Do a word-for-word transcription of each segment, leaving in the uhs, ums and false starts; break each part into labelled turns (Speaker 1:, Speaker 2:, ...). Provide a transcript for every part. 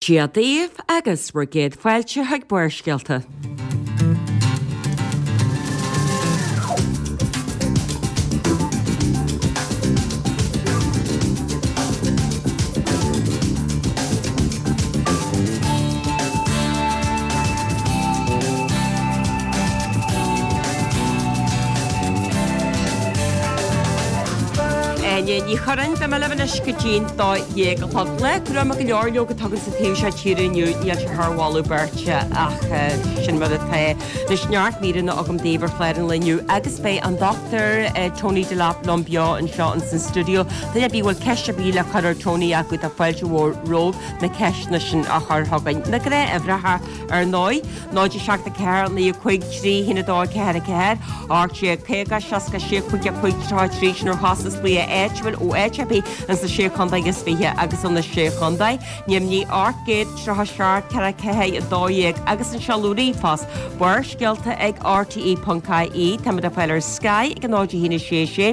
Speaker 1: Dia daoibh agus bhur gcéad fáilte chuig Barrscéalta. Áine Ní Churráin, beidh mé libh anois go dtí'n dó dhéag a chlog. Lá gruama go leor leoga atá againn sa taobh seo tíre inniu, níl sé thar mholadh beirte ach sin mar atá. Anois neart míreanna agam daoibh ar chlár an lae inniu agus beidh an Dochtúir Tony Delap liom beo anseo ins an stiúideo. Duine ar bith a bhfuil ceist ar bith le cur ar Tony acu tá fáilte mhór romhaibh na ceisteanna sin a chur chugainn. Na gnáthuimhreacha ar ndóigh, náid a seacht a ceathair naoi a cúig trí haon a dó ceathair a ceathair, ocht déag caoga seasca sé cúig a cúig tríocha a trí, sin ar chostas glaoch áitiúil ó áit ar bith ins na Sé Chontae is Fiche agus ó na Sé Chontae, Ainmnigh ocht gcéad tríocha seacht ceathair ceathair a dó dhéag agus an seoladh ríomhphost, Barrscéalta ag rte ponc ie. Táimid le fáil ar Sky ag a náid a haon a sé sé.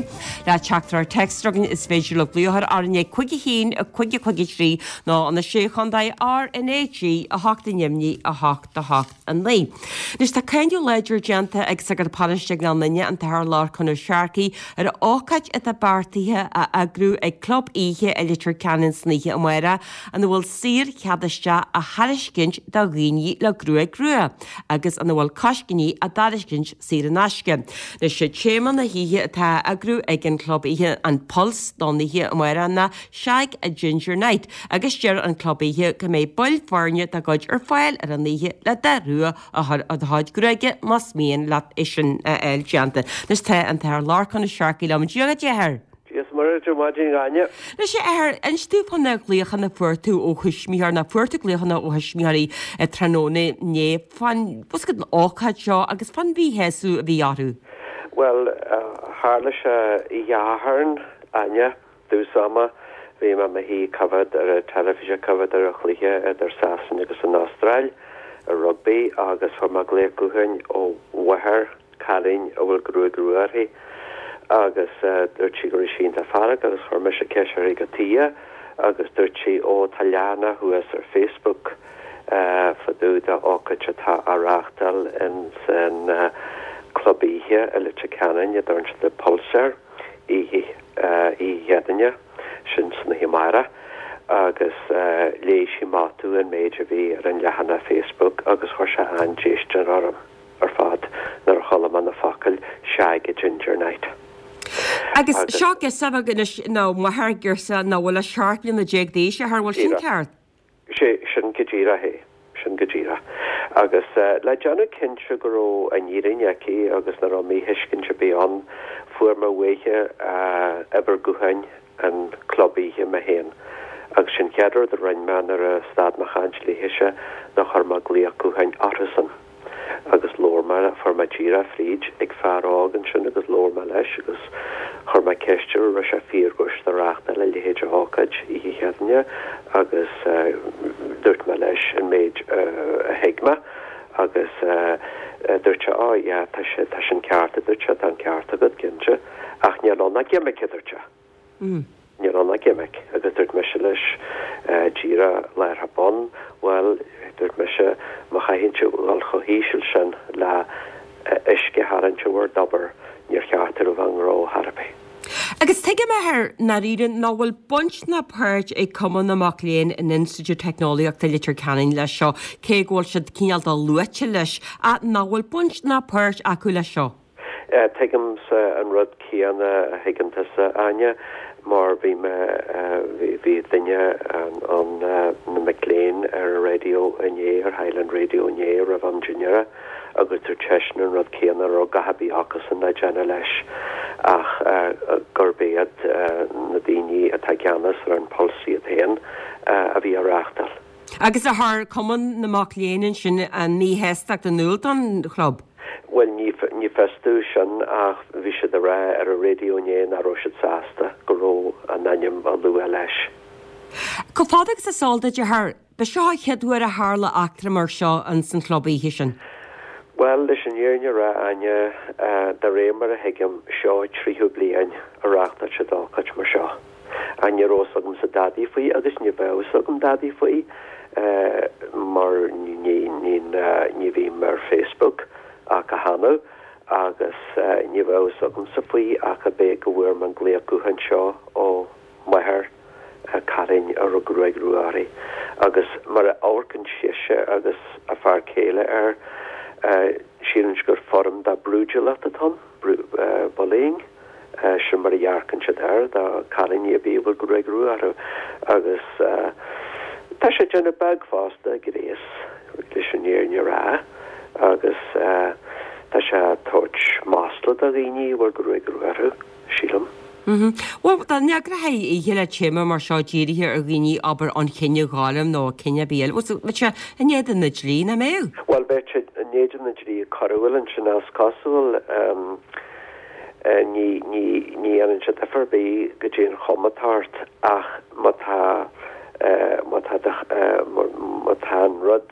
Speaker 1: Le teachtaireacht téacs a chugainn is féidir libh glaoch ar RnaG cúig a haon cúig a cúig a trí nó na Sé Chontae RnaG a hocht i nDoimhnigh a hocht a hocht a naoi. Anois tá cáineadh láidir déanta ag Sagart Paróiste Ghleann Fhinne, an tAthair Lorcán Ó Searcaigh, ar ócáid atá beartaithe a eagrú ag Club Oíche i Leitir Ceanainn san oíche amárach ina bhfuil saor-chead isteach á thairiscint do dhaoine le gruaig rua agus ina bhfuil coiscíní á dtairiscint saor in aisce. Anois sé téama na hoíche atá á eagrú ag an Chlub Oíche an Pulse don oíche amárach ná Shag a Ginger Night agus deir an Club Oíche go mbeidh baill foirne dá gcuid ar fáil ar an oíche le dath rua a chur ar do chuid gruaige más mian leat é sin a fháil déanta. Anois tá an tAthair Lorcán Ó Searcaigh liom. Dia dhuit, a Athair.
Speaker 2: Dia is Muire duit ar maidin, a Áine.
Speaker 1: Anois, a Athair, inis domh fá na glaochanna a fuair tú ó thuismitheoirí, nó fuair tú glaochanna ó thuismitheoirí tráthnóna inné fán, bhfuil fhios agat, an ócáid seo agus fán mhíshásamh a bhí orthu.
Speaker 2: Bhuel, tharla sé oíche Shathairn, Áine, dtús ama, bhí mé i mo shuí ag coimhéad ar an teilifís ag coimhéad ar an chluiche idir Sasana agus an Astráil i rugbaí agus fuair mé glaoch gutháin ó mháthair cailín a bhfuil gruaig rua uirthi agus dúirt sí go raibh sí iontach feargach agus chuir mise ceist uirthi cad chuige agus dúirt sí ó tá leathanach thuas ar Facebook fá dtaobh de ócáid atá á reáchtáil ins an club oíche i Leitir Ceanainn a dtugann siad The Pulse air oíche oíche Chéadaoine sin san oíche amárach agus léigh sí amach domh an méid a bhí ar an leathanach Facebook agus chuir sé an-déistin orm ar fad nuair a chuala mé na focail Shag a Ginger Night.
Speaker 1: Agus seo girseach bheag anois nó máthair girseach nach bhfuil ach seacht mbliana déag d'aois, a Athair, bhfuil sin ceart?
Speaker 2: Sé sin go díreach é. Sin go díreach. Agus le déanamh cinnte go raibh an fhírinne aici agus nach raibh míthuiscint ar bith ann, fuair mé uaithe uimhir gutháin an chlub oíche mé féin. Agus sin an chéad rud a rinne mé nuair a stad mé a chaint léithise ná chuir mé glaoch gutháin orthusan. agus labhair mé, fuair mé díreach fríd ag fear óg ansin agus labhair mé leis agus chuir mé ceist air an raibh sé fíor go raibh siad ag reáchtáil a leithéid de ócáid oíche Chéadaoine agus dúirt mé leis an méid a thuig mé agus dúirt sé oh yeah tá sé, tá sin ceart a dúirt sé, tá an ceart agat cinnte ach níl ann ach gimic a dúirt sé. Níl ann ach gimic. Agus dúirt mise leis díreach láithreach bonn, bhuel, dúirt mise, má chaitheann sibh dhul chomh híseal sin le uisce a tharraingt ó bhur dtobar, níor cheart daoibh a bheith i ngnó chor ar bith.
Speaker 1: Agus tuigim, a Athair, i ndáiríre nach bhfuil baint ná páirt ag Cumann na Mac Léinn in Institiúid Teicneolaíochta Leitir Ceanainn leis seo, cé go bhfuil siad cineál de luaite leis, ach nach bhfuil baint ná páirt acu leis seo.
Speaker 2: Tuigimse an rud céanna a thuigeann tusa, Áine, mar bhí mé, bhí duine ann na mic léinn ar an raidió inné, ar Highland Radio inné roimh am dinnéara agus dúirt seisean an rud céanna, raibh gach ar bith acusan le déanamh leis ach gurb iad na daoine atá i gceannas ar an Pulse iad féin a bhí á reáchtáil.
Speaker 1: Agus ar chuir Cumann na Mac Léinn ansin a míshástacht in iúl don chlub?
Speaker 2: Bhuel, ní fios domh sin ach bhí siad ag rá ar an raidió inné nach raibh siad sásta go raibh a n-ainm á lua leis.
Speaker 1: Chomh fada agus is eol duit, a Athair, ba seo an chéad uair a tharla eachtra mar seo ins an chlub oíche sin?
Speaker 2: Bhuel, leis an fhírinne a rá, Áine, de réir mar a thuigim, seo an tríú bliain a reáchtáil siad ócáid mar seo. Ach ní raibh fhios agamsa dadaí faoi agus ní bheadh fhios agam dadaí faoi mar ní ní ní bhím ar Facebook ach go hannamh agus ní raibh fhios agamsa faoi ach ab é go bhfuair mé an glaoch gutháin seo ó mháthair cailín a raibh gruaig rua uirthi agus mar a amharcann sise agus a fear céile air síleann gur foirm de brúidiúlacht atá ann, bullying, sin mar a dhearcann siad air do chailíní ar bith a bhfuil gruaig rua orthu agus tá sé déanamh beag fosta gréas leis an fhírinne a rá agus tá sé ag tabhairt masla do dhaoine a bhfuil gruaig rua orthu, sílim.
Speaker 1: Bhuel, dá n-eagrófaí oíche le téama mar seo dírithe ar dhaoine, abair, an chine ghorm nó cine ar bith eile, bheadh sé in éadan na dlí, nach mbeadh?
Speaker 2: Bhuel, bheadh sé in éadan na dlí coiriúil ansin is cosúil. Ní ní ní dhéanann sé difear ar bith go dtí an chuma atá ort ach má tá má tá má tá an rud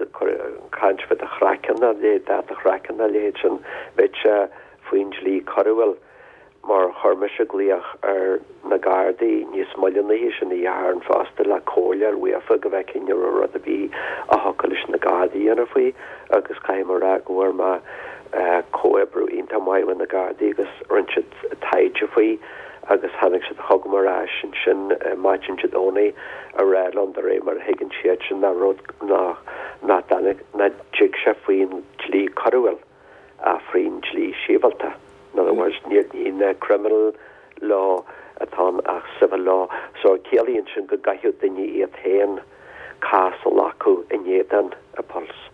Speaker 2: caint faoi do chraiceann a leithéid, dath do chraicinn a leithéid sin, bheadh sé faoin dlí coiriúil. Mar chuir mise glaoch ar na Gardaí níos moille an oíche sin oíche Shathairn fosta le comhairle a fháil uafa go bhfeicfinn an raibh rud ar bith a thiocfadh leis na Gardaí a dhéanamh faoi agus caithfidh mé a rá go bhfuair mé comhoibriú iontach maith ó na Gardaí agus rinne siad taighde faoi agus tháinig siad chugam ar ais ansin maidin Dé Domhnaigh a rá liom de réir mar a thuigeann siadsan nach rud nach nach dtig sé faoin dlí coiriúil ach faoin dlí sibhialta. In other words, ní ní criminal law atá ann ach civil law. So ciallaíonn sin go gcaithfidh duine iad féin cás a ghlacadh in éadan an Pulse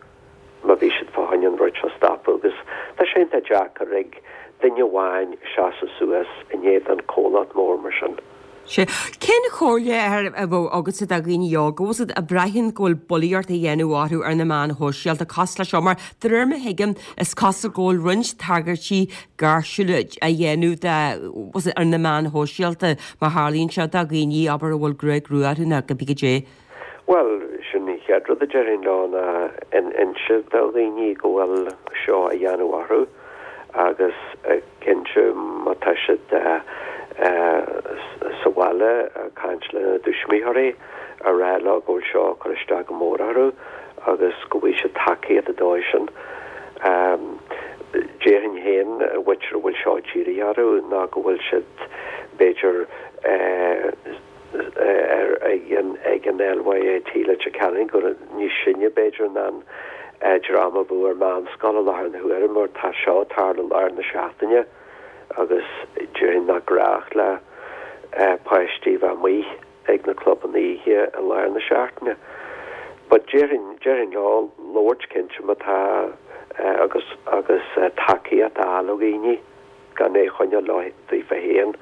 Speaker 2: má bhí siad fá choinne an rud seo a stopadh agus tá sé iontach deacair ag duine amháin seasamh suas in éadan comhlacht mór mar sin.
Speaker 1: Sea. Cén chomhairle a bheadh agatsa do dhaoine óga, bhfuil siad a braitheann go bhfuil bulaíocht á dhéanamh orthu ar na meáin shóisialta cosúil leis seo mar de réir mar a thuigim is cosúil go bhfuil roinnt tagairtí gáirsiúla á dhéanamh de bhfuil ar na meáin shóisialta má tharlaíonn sé do dhaoine abair a bhfuil gruaig rua orthu nó cibé goidé.
Speaker 2: Bhuel, sin an chéad rud a déarfainn leo ná inse do dhaoine go bhfuil seo á dhéanamh orthu agus cinnte má tá siad sa bhaile ag caint lena dtuismitheoirí a rá leo go bhfuil seo ag cur isteach go mór orthu agus go bhfaighidh siad tacaíocht an dóigh sin. Déarfainn féin an mhuintir a bhfuil seo dírithe orthu ná go bhfuil siad b'fhéidir ar ag an ag an LYIT Leitir Ceanainn gur níos sine b'fhéidir ná an dream a bheadh ar meánscoil i láthair na huaire mar tá seo ag tarlú i lár na seachtaine agus déarfainn nach gnách le páistí bheith amuigh ag na clubanna oíche i lár na seachtaine. But déarfainn déarfainn leo labhairt cinnte má tá agus agus tacaíocht a fháil ó dhaoine gan é a choinneáil leo daofa féin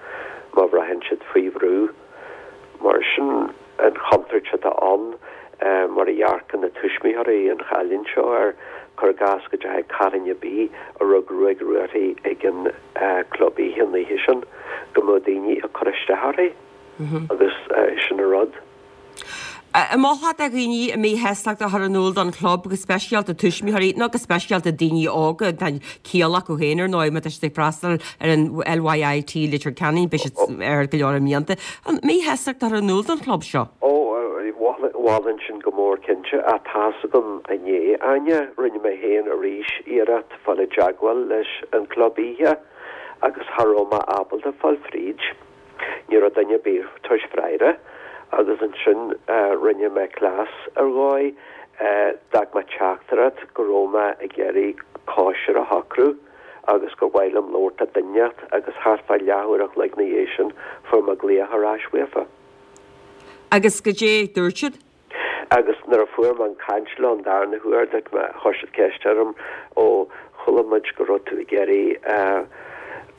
Speaker 2: má bhraitheann siad faoi bhrú. Mar sin an chontúirt atá ann mar a dhearcann na tuismitheoirí an chailín seo air, cuir i gcás go dteachaidh cailín ar bith a raibh gruaig rua uirthi ag an club oíche an oíche sin, go mbeadh daoine ag cur isteach uirthi agus sin an rud.
Speaker 1: An molfá do dhaoine a míshástacht a chur in iúl don chlub, go speisialta tuismitheoirí nó go speisialta daoine óga, tá ciall acu féin ar ndóigh má tá siad ag freastal ar an LYIT Leitir Ceanainn, beidh siad air go leor mblianta. An míshástacht a chur in iúl don chlub seo?
Speaker 2: Ó, mholfainn sin go mór cinnte. Ach tá's agam inné, Áine, rinne mé féin arís iarracht fáil i dteagmháil leis an club oíche agus cha raibh mé ábalta fáil fríd. Ní raibh duine ar bith ag tabhairt freagra agus ansin rinne mé cleas ar dhóigh, d'fhág mé teachtaireacht go raibh mé ag iarraidh cóisir a shocrú agus gur mhaith liom labhairt le duine inteacht agus thart fá leathuair a chloig ina dhiaidh sin fuair mé glaoch ar ais uafa.
Speaker 1: Agus goidé dúirt siad?
Speaker 2: Agus nuair a fuair mé an caint leo an darna huair, dúirt mé, chuir siad ceist orm, ó, chuala muid go raibh tú ag iarraidh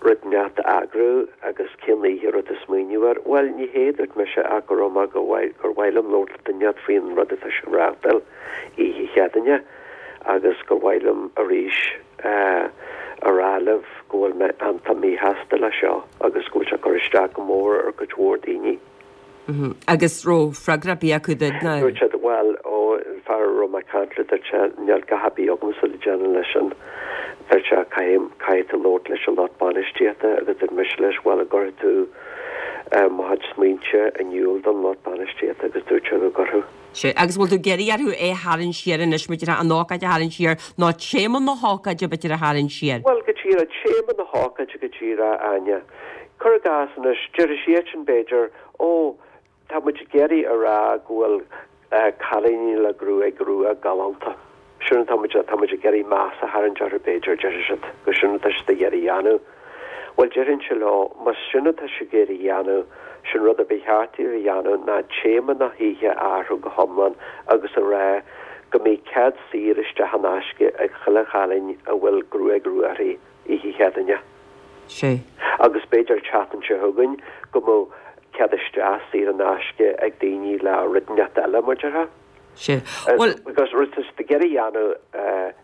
Speaker 2: rud inteacht a eagrú agus cén oíche a raibh tú ag smaoineamh air? Bhuel, ní hé, dúirt mise, ach go raibh mé, gur mhaith liom labhairt le duine inteacht faoin rud atá sibh a reáchtáil oíche Chéadaoine agus gur mhaith liom arís a rá libh go bhfuil mé iontach míshásta leis seo agus go bhfuil sé ag cur isteach go mór ar cuid mhór daoine.
Speaker 1: Agus raibh freagra ar bith acu duit ná?
Speaker 2: Dúirt siad, bhuel, ó, an fear a raibh mé ag caint le, dúirt sé, níl dath ar bith agamsa le déanamh leis sin. Dúirt sé, caithfidh, caithfidh tú labhairt leis an lucht bainistíochta agus dúirt mise leis, bhuel, an gcuirfidh tú mo chuid smaointe in iúl don lucht bainistíochta agus dúirt siad go gcuirfeadh.
Speaker 1: Sea, agus bhfuil tú ag iarraidh orthu é a tharraingt siar anois, b'fhéidir an ócáid a tharraingt siar, nó téama na hócáide b'fhéidir a tharraingt siar?
Speaker 2: Bhuel, go díreach, téama na hócáide go díreach, Áine. Cuir i gcás anois, déarfaidh siadsan b'fhéidir, ó, tá muid ag iarraidh a rá go bhfuil cailíní le gruaig rua galánta. Sin tá muid tá muid ag iarraidh meas a tharraingt orthu b'fhéidir, déarfaidh siad, gur sin atá siad ag iarraidh a dhéanamh. Bhuel, déarfainnse leo, más sin atá siad ag iarraidh a dhéanamh, sin rud a ba cheart daoibh a dhéanamh ná téama na hoíche a athrú go hiomlán agus a rá go mbeidh cead saor isteach in aisce ag chuile chailín a bhfuil gruaig rua uirthi oíche Chéadaoine.
Speaker 1: Sea.
Speaker 2: Agus b'fhéidir an tseachtain seo chugainn go mbeadh cead isteach saor in aisce ag daoine le rud inteacht eile, mar a déarfá.
Speaker 1: Sea. Bhuel.
Speaker 2: Because rud atá siad ag iarraidh a dhéanamh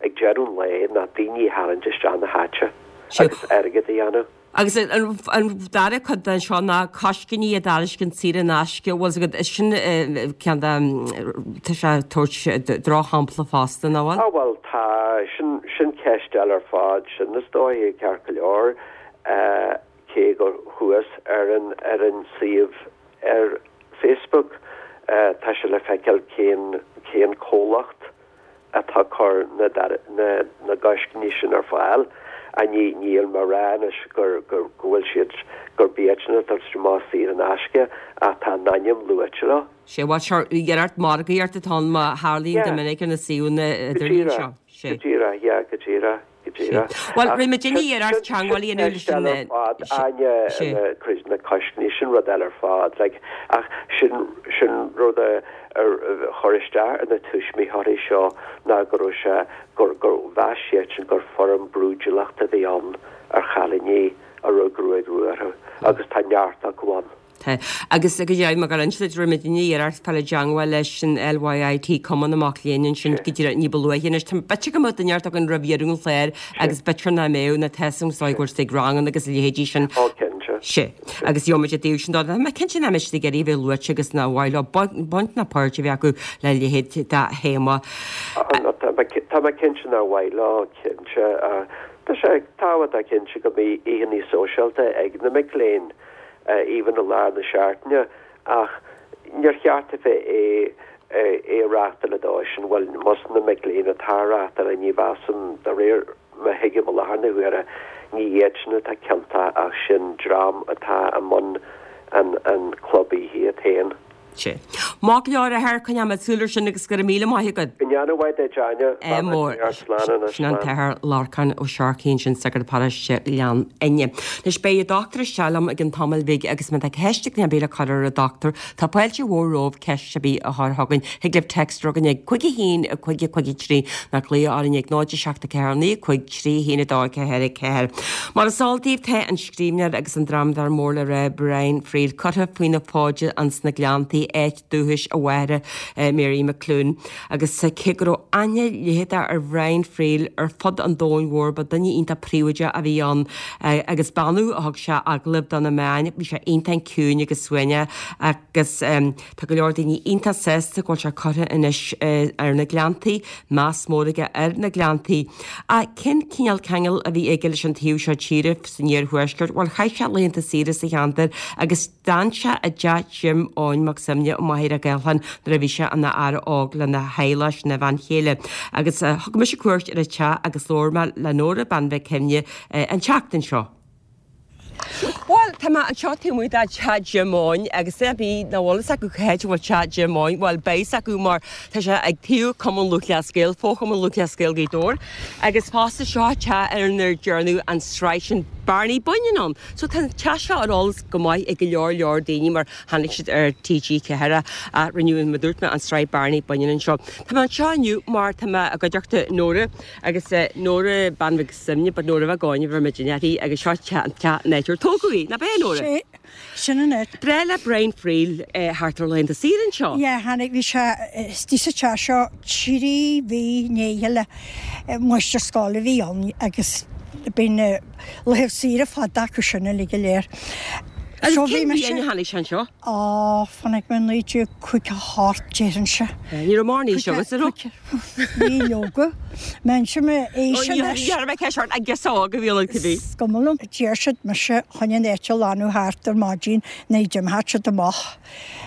Speaker 2: ag deireadh an lae ná daoine a tharraingt isteach na háite agus airgead a dhéanamh.
Speaker 1: Agus an dara cuid den seo ná coiscíní a dtairiscint saor in aisce, bhfuil 's agat, is sin ceann de, tá sé ag tabhairt drochshampla fosta, nach bhfuil?
Speaker 2: Á bhuel tá, sin, sin ceist eile ar fad, sin is dóigh, ceart go leor, cé gur chuas ar an, ar an suíomh ar Facebook, tá sé le feiceáil cén, cén comhlacht atá ag cur na, na, na gcoiscíní sin ar fáil. Ach ní, níl mé ag rá anois gur, gur, go bhfuil siad, gurb iadsan atá ag amach saor in aisce ach tá a n-ainm luaite leo.
Speaker 1: Sea, bhuel sure, iarracht margaíocht atá ann mar a tharlaíonn go
Speaker 2: Yeah.
Speaker 1: minic ar na suíomhanna
Speaker 2: Go
Speaker 1: idirlín
Speaker 2: díreach,
Speaker 1: seo. Sea.
Speaker 2: go díreach, yeah, go díreach, go díreach.
Speaker 1: Bhuel,
Speaker 2: Ach
Speaker 1: rinne muid
Speaker 2: sin,
Speaker 1: iarracht
Speaker 2: sin, sin
Speaker 1: teagmháil a dhéanamh leis
Speaker 2: ceist
Speaker 1: an,
Speaker 2: eile ar fad,
Speaker 1: sea,
Speaker 2: Áine,
Speaker 1: sea.
Speaker 2: na, cuid na coiscíní, sin rud eile ar fad, like, ach sin, sin rud a, a chuir isteach ar na tuismitheoirí seo ná go raibh sé, gur, gur mheas siadsan gur foirm brúidiúlachta a bhí ann ar chailíní a raibh gruaig rua orthu agus tá neart acu ann.
Speaker 1: Tá. Agus go deimhin, mar gur inis duit, rinne muidne iarracht fáil i dteangmháil leis an LYIT, Cumann na Mac Léinn ansin go díreach ní ba luaithe anois. Tá b'fhéidir go mbeadh duine inteacht againn roimh dheireadh an chláir agus b'fhéidir nach mbeadh na tá a fhios agat go bhfuil siad ag ranganna agus a leithéidí sin.
Speaker 2: Ó, cinnte.
Speaker 1: Sea. Agus gheobhaimid i dtaobh sin dó. Tá mé cinnte nach mbeidh siad ag iarraidh a bheith luaite agus nár mhaith leo baint ná páirt a bheith acu le leithéid de théama.
Speaker 2: Tá mé cinnte nár mhaith leo, cinnte. Tá sé tábhachtach cinnte go mbeidh oícheanna sóisialta ag na mic léinn, even i lár na seachtaine, ach níor cheart a bheith é é a reáchtáil ar an dóigh sin, bhuel, más na mic léinn atá á reáchtáil, ní mheasaim, de réir mar a thuigim i láthair na huaire, ní iad sin atá ciontach ach sin dream atá i mbun an an club oíche iad féin.
Speaker 1: Sea. Maith go leor a Athair, coinneoidh muid súil air sin agus go raibh míle maith agat.
Speaker 2: Go ndéana mhaith duit, Áine.
Speaker 1: Ádh mór.
Speaker 2: Slán anois,
Speaker 1: Sin an
Speaker 2: slán.
Speaker 1: tAthair Lorcán Ó Searcaigh ansin, sagart paróiste Ghleann Fhinne. Anois beidh an dochtúir isteach liom i gcionn tamaill bhig agus má tá ceist ag duine ar bith le cur ar an dochtúir, tá fáilte mhór romhaibh ceist ar bith a chur chugainn. Thig libh text a chugainn ag cúig a haon a cúig a cúig a trí nó glaoch orainn ag náid a seacht a ceathair naoi cúig trí haon a dó ceathair a ceathair. Mar is eol daoibh tá an scríbhneoir agus an drámadóir mór le rá Brian Friel curtha faoina fóide ins na Gleanntaí áit dúchais a mháthara Mary McClune agus cé go raibh aithne leitheadach ar Bhrian Friel ar fud an domhain mhóir ba duine iontach príobháideach a bhí ann agus b'annamh a thug sé agallamh do na meáin bhí sé iontach ciúin agus suaimhneach agus tá go leor daoine iontach sásta go bhfuil sé curtha anois ar na Gleanntaí meas mór aige ar na Gleanntaí. Ach cén cineál ceangal a bhí aige leis an taobh seo tíre san iarthuaisceart, bhuel chaith sé laethanta saoire sa cheantar agus d'fhan sé i dteach Jim Eoin Mac Suibhne i Machaire Gathlán nuair a bhí sé ina fhear óg lena theaghlach ina bhean chéile. Agus thug mise cuairt ar an teach agus labhair mé le Nóra Bean Mhic Shuibhne an tseachtain seo. Bhuel, tá mé anseo taobh amuigh de teach Jim Eoin agus é bí nach bhfuil fhios acu cá háit a bhfuil teach Jim Eoin, bhuel beidh fhios acu mar tá sé ag taobh Cumann Lúthchleas Gael, Fo-Chumann Lúthchleas Gael Ghaoth Dobhair, agus fosta seo teach ar inar dearnadh an tsraith sin Bearnaí Baineann ann. So tá an teach seo ar eolas go maith ag go leor leor daoine mar tháinig siad ar TG Ceathair a rinneadh mar dúirt mé an tsraith Bearnaí Baineann anseo. Tá mé anseo inniu mar tá mé i gcuideachta Nóra agus Nóra Bean Mhic Suibhne, but Nóra Mhic Eoin a bhí muid uirthi agus seo teach an teach an áit ar tógadh í, nach b'é Nóra?
Speaker 3: Sé, sin an áit.
Speaker 1: Breá le Brian Friel thart ar laethanta saoire anseo.
Speaker 3: Yeah, tháinig, bhí sé istigh sa teach seo trí mhí i ndiaidh a chéile, máistir scoile a bhí ann agus bíonn na laethanta saoire fada acu sin uilig go léir.
Speaker 1: Agus cén bhliain a tháinig sé anseo?
Speaker 3: Á, chonaic mé naoi déag caoga a hocht déarfainnse.
Speaker 1: Ní raibh mórán aois agat, an raibh?
Speaker 3: Bhí leoga. M'inse mé aois anois.
Speaker 1: Ní raibh mé ceist ort, an girseach óg a bhí ionat cibé.
Speaker 3: Is cuma liom. Deir siad mise chun an áit a ghlanadh thart ar maidin nuair d'imtheodh siad amach.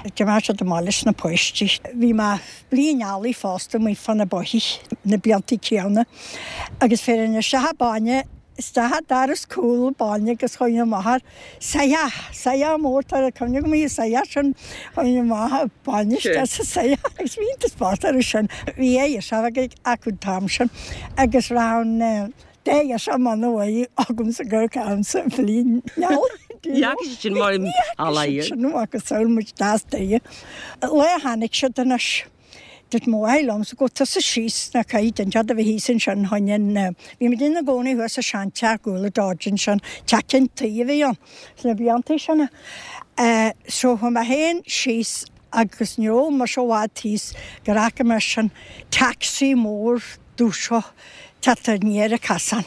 Speaker 3: D'imtheodh siad amach leis na páistí. Bhí mé bliain eallaigh fosta amuigh fá na bóithigh na blianta céanna agus féireann isteach bainne Isteach an doras cúl bainne agus chuaigh amach ar soitheach, soitheach mór, tá cuimhne agam ar an soitheach sin, chuaigh amach ar bainne isteach sa soitheach agus bhí iontas bocht orthu sin. Bhí a fhios acu an t-am sin agus raibh an dá ghirseach mona uaidh agamsa gur ceann-sa bhliain
Speaker 1: Ní fhaca siad sin mar
Speaker 3: Ní fhaca siad sin macasamhail muid deas daoithe. Lá a tháinig siad anois. Dúirt mo mháthair liomsa, Gabh tusa síos ná caithfidh duine a bheith thíos ansin chun an, bhí muid ina gcónaí thuas sa seanteach Gúla Dodge ansin, teach ceann tuí a bhí ann sna blianta sin. So chuaigh mé féin síos agus ní raibh mise i bhfad thíos gur fhaca mé sin taxi mór dubh seo teacht aniar an casán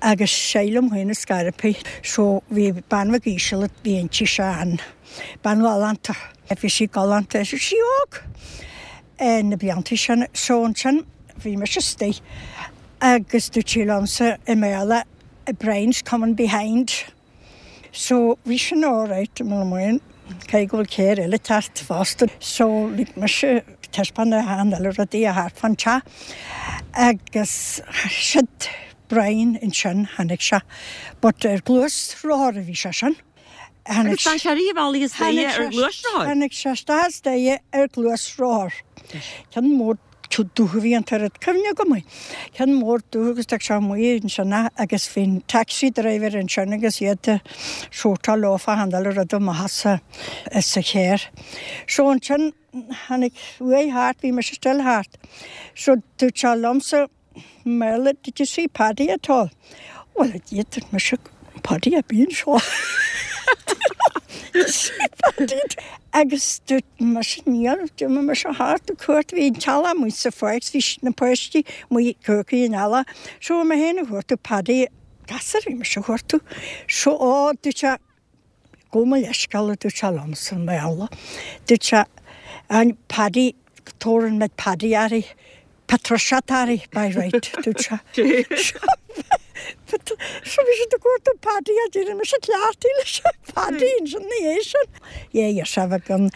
Speaker 3: agus sílim féin ar scor ar bith. So bhí bean bheag íseal a bhí inti sin, bean ghalánta, bhí sí galánta, bhí sí óg. na blianta sin. So ansin bhí mise istigh agus dúirt sí liomsa i mBéarla Brian's coming behind. So bhí sin alright, mo mhaoin, caithfidh go bhfuil carr eile ag teacht fosta. So lig mise taispeáint achan uile rudaí a thart fán teach agus siod Brian ansin, tháinig sé. But ar gluaisrothar a bhí sé sin.
Speaker 1: Agus d'fhan sé riamh amhlaidh istoíche ar ghluaisrothar?
Speaker 3: Tháinig sé isteach istoíche ar ghluaisrothar. Ceann mór dubh a bhí ann, tá cuimhne agam air. Ceann mór dubh agus d'fhág sé amuigh ansin é agus bhí an taxi driver ansin agus iad ag sórtáil leo fá achan uile rud amach as sa charr. So ansin tháinig uaidh thart, bhí mise still thart. So dúirt sé liomsa, i mBéarla, did you see Paddy at all? Bhuel, a Dhia, dúirt mise, Paddy a bhí anseo. Did you see Paddy at all? Agus dúirt mise, níl, d'imigh mise thart ag cuartú, bhí an teallach amuigh sa pháirc, bhí na páistí amuigh ag cuartú an eallaigh. So bhí mé féin ag cuartú Paddy, gasúr a bhí mise ag cuartú. So, ó, dúirt sé, Gabh mo leithscéal, a dúirt sé liomsa i mBéarla. Dúirt sé, an Paddy, tabhair an Paddy air, Patricia Tari, by right, dúirt sé. So bhí siad ag cuartú Paddy a deireadh mise cleachtaí leis Paddy ansin ina dhiaidh sin. Yeah, yeah, bheadh an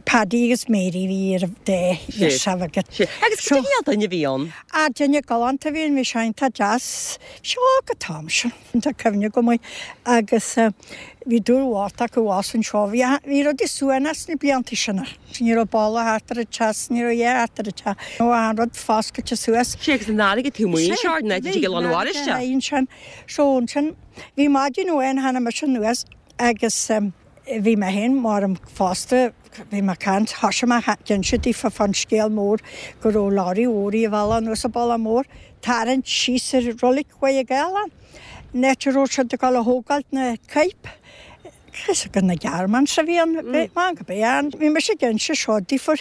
Speaker 3: Paddy agus Mary bhí ar an dá dheirseach agat.
Speaker 1: Agus cad é cineál duine a bhí ann?
Speaker 3: Ah, duine galánta a bhí ann, bhí sé iontach deas. Seo go t-am sin, tá cuimhne agam air. Agus bhí dúil mhór acu abhus anseo. Bhí, bhí rudaí suaimhneach sna blianta sin. Ní raibh boladh thart ar an teach, ní raibh a dhath thart ar an teach. Nó achan rud foscailte suas.
Speaker 1: Sé agus an fharraige taobh amuigh anseo, an áit a dtig an bharáiste.
Speaker 3: Ansin, so ansin, bhí maidin amháin tháinig mise anuas agus bhí mé féin mar fosta, bhí mé ag caint, thosaigh mé ag inse daofa fán scéal mór go raibh lorry mhór ar a bhealach anuas an Bealach Mór, tarraingt síos ar roilig Mhaigh Ghaelán, an áit a raibh siad ag dul a thógáilt na coirp. Is ag na Germans a bhí an man go b'é an. Bhí mise ag inse seo daofa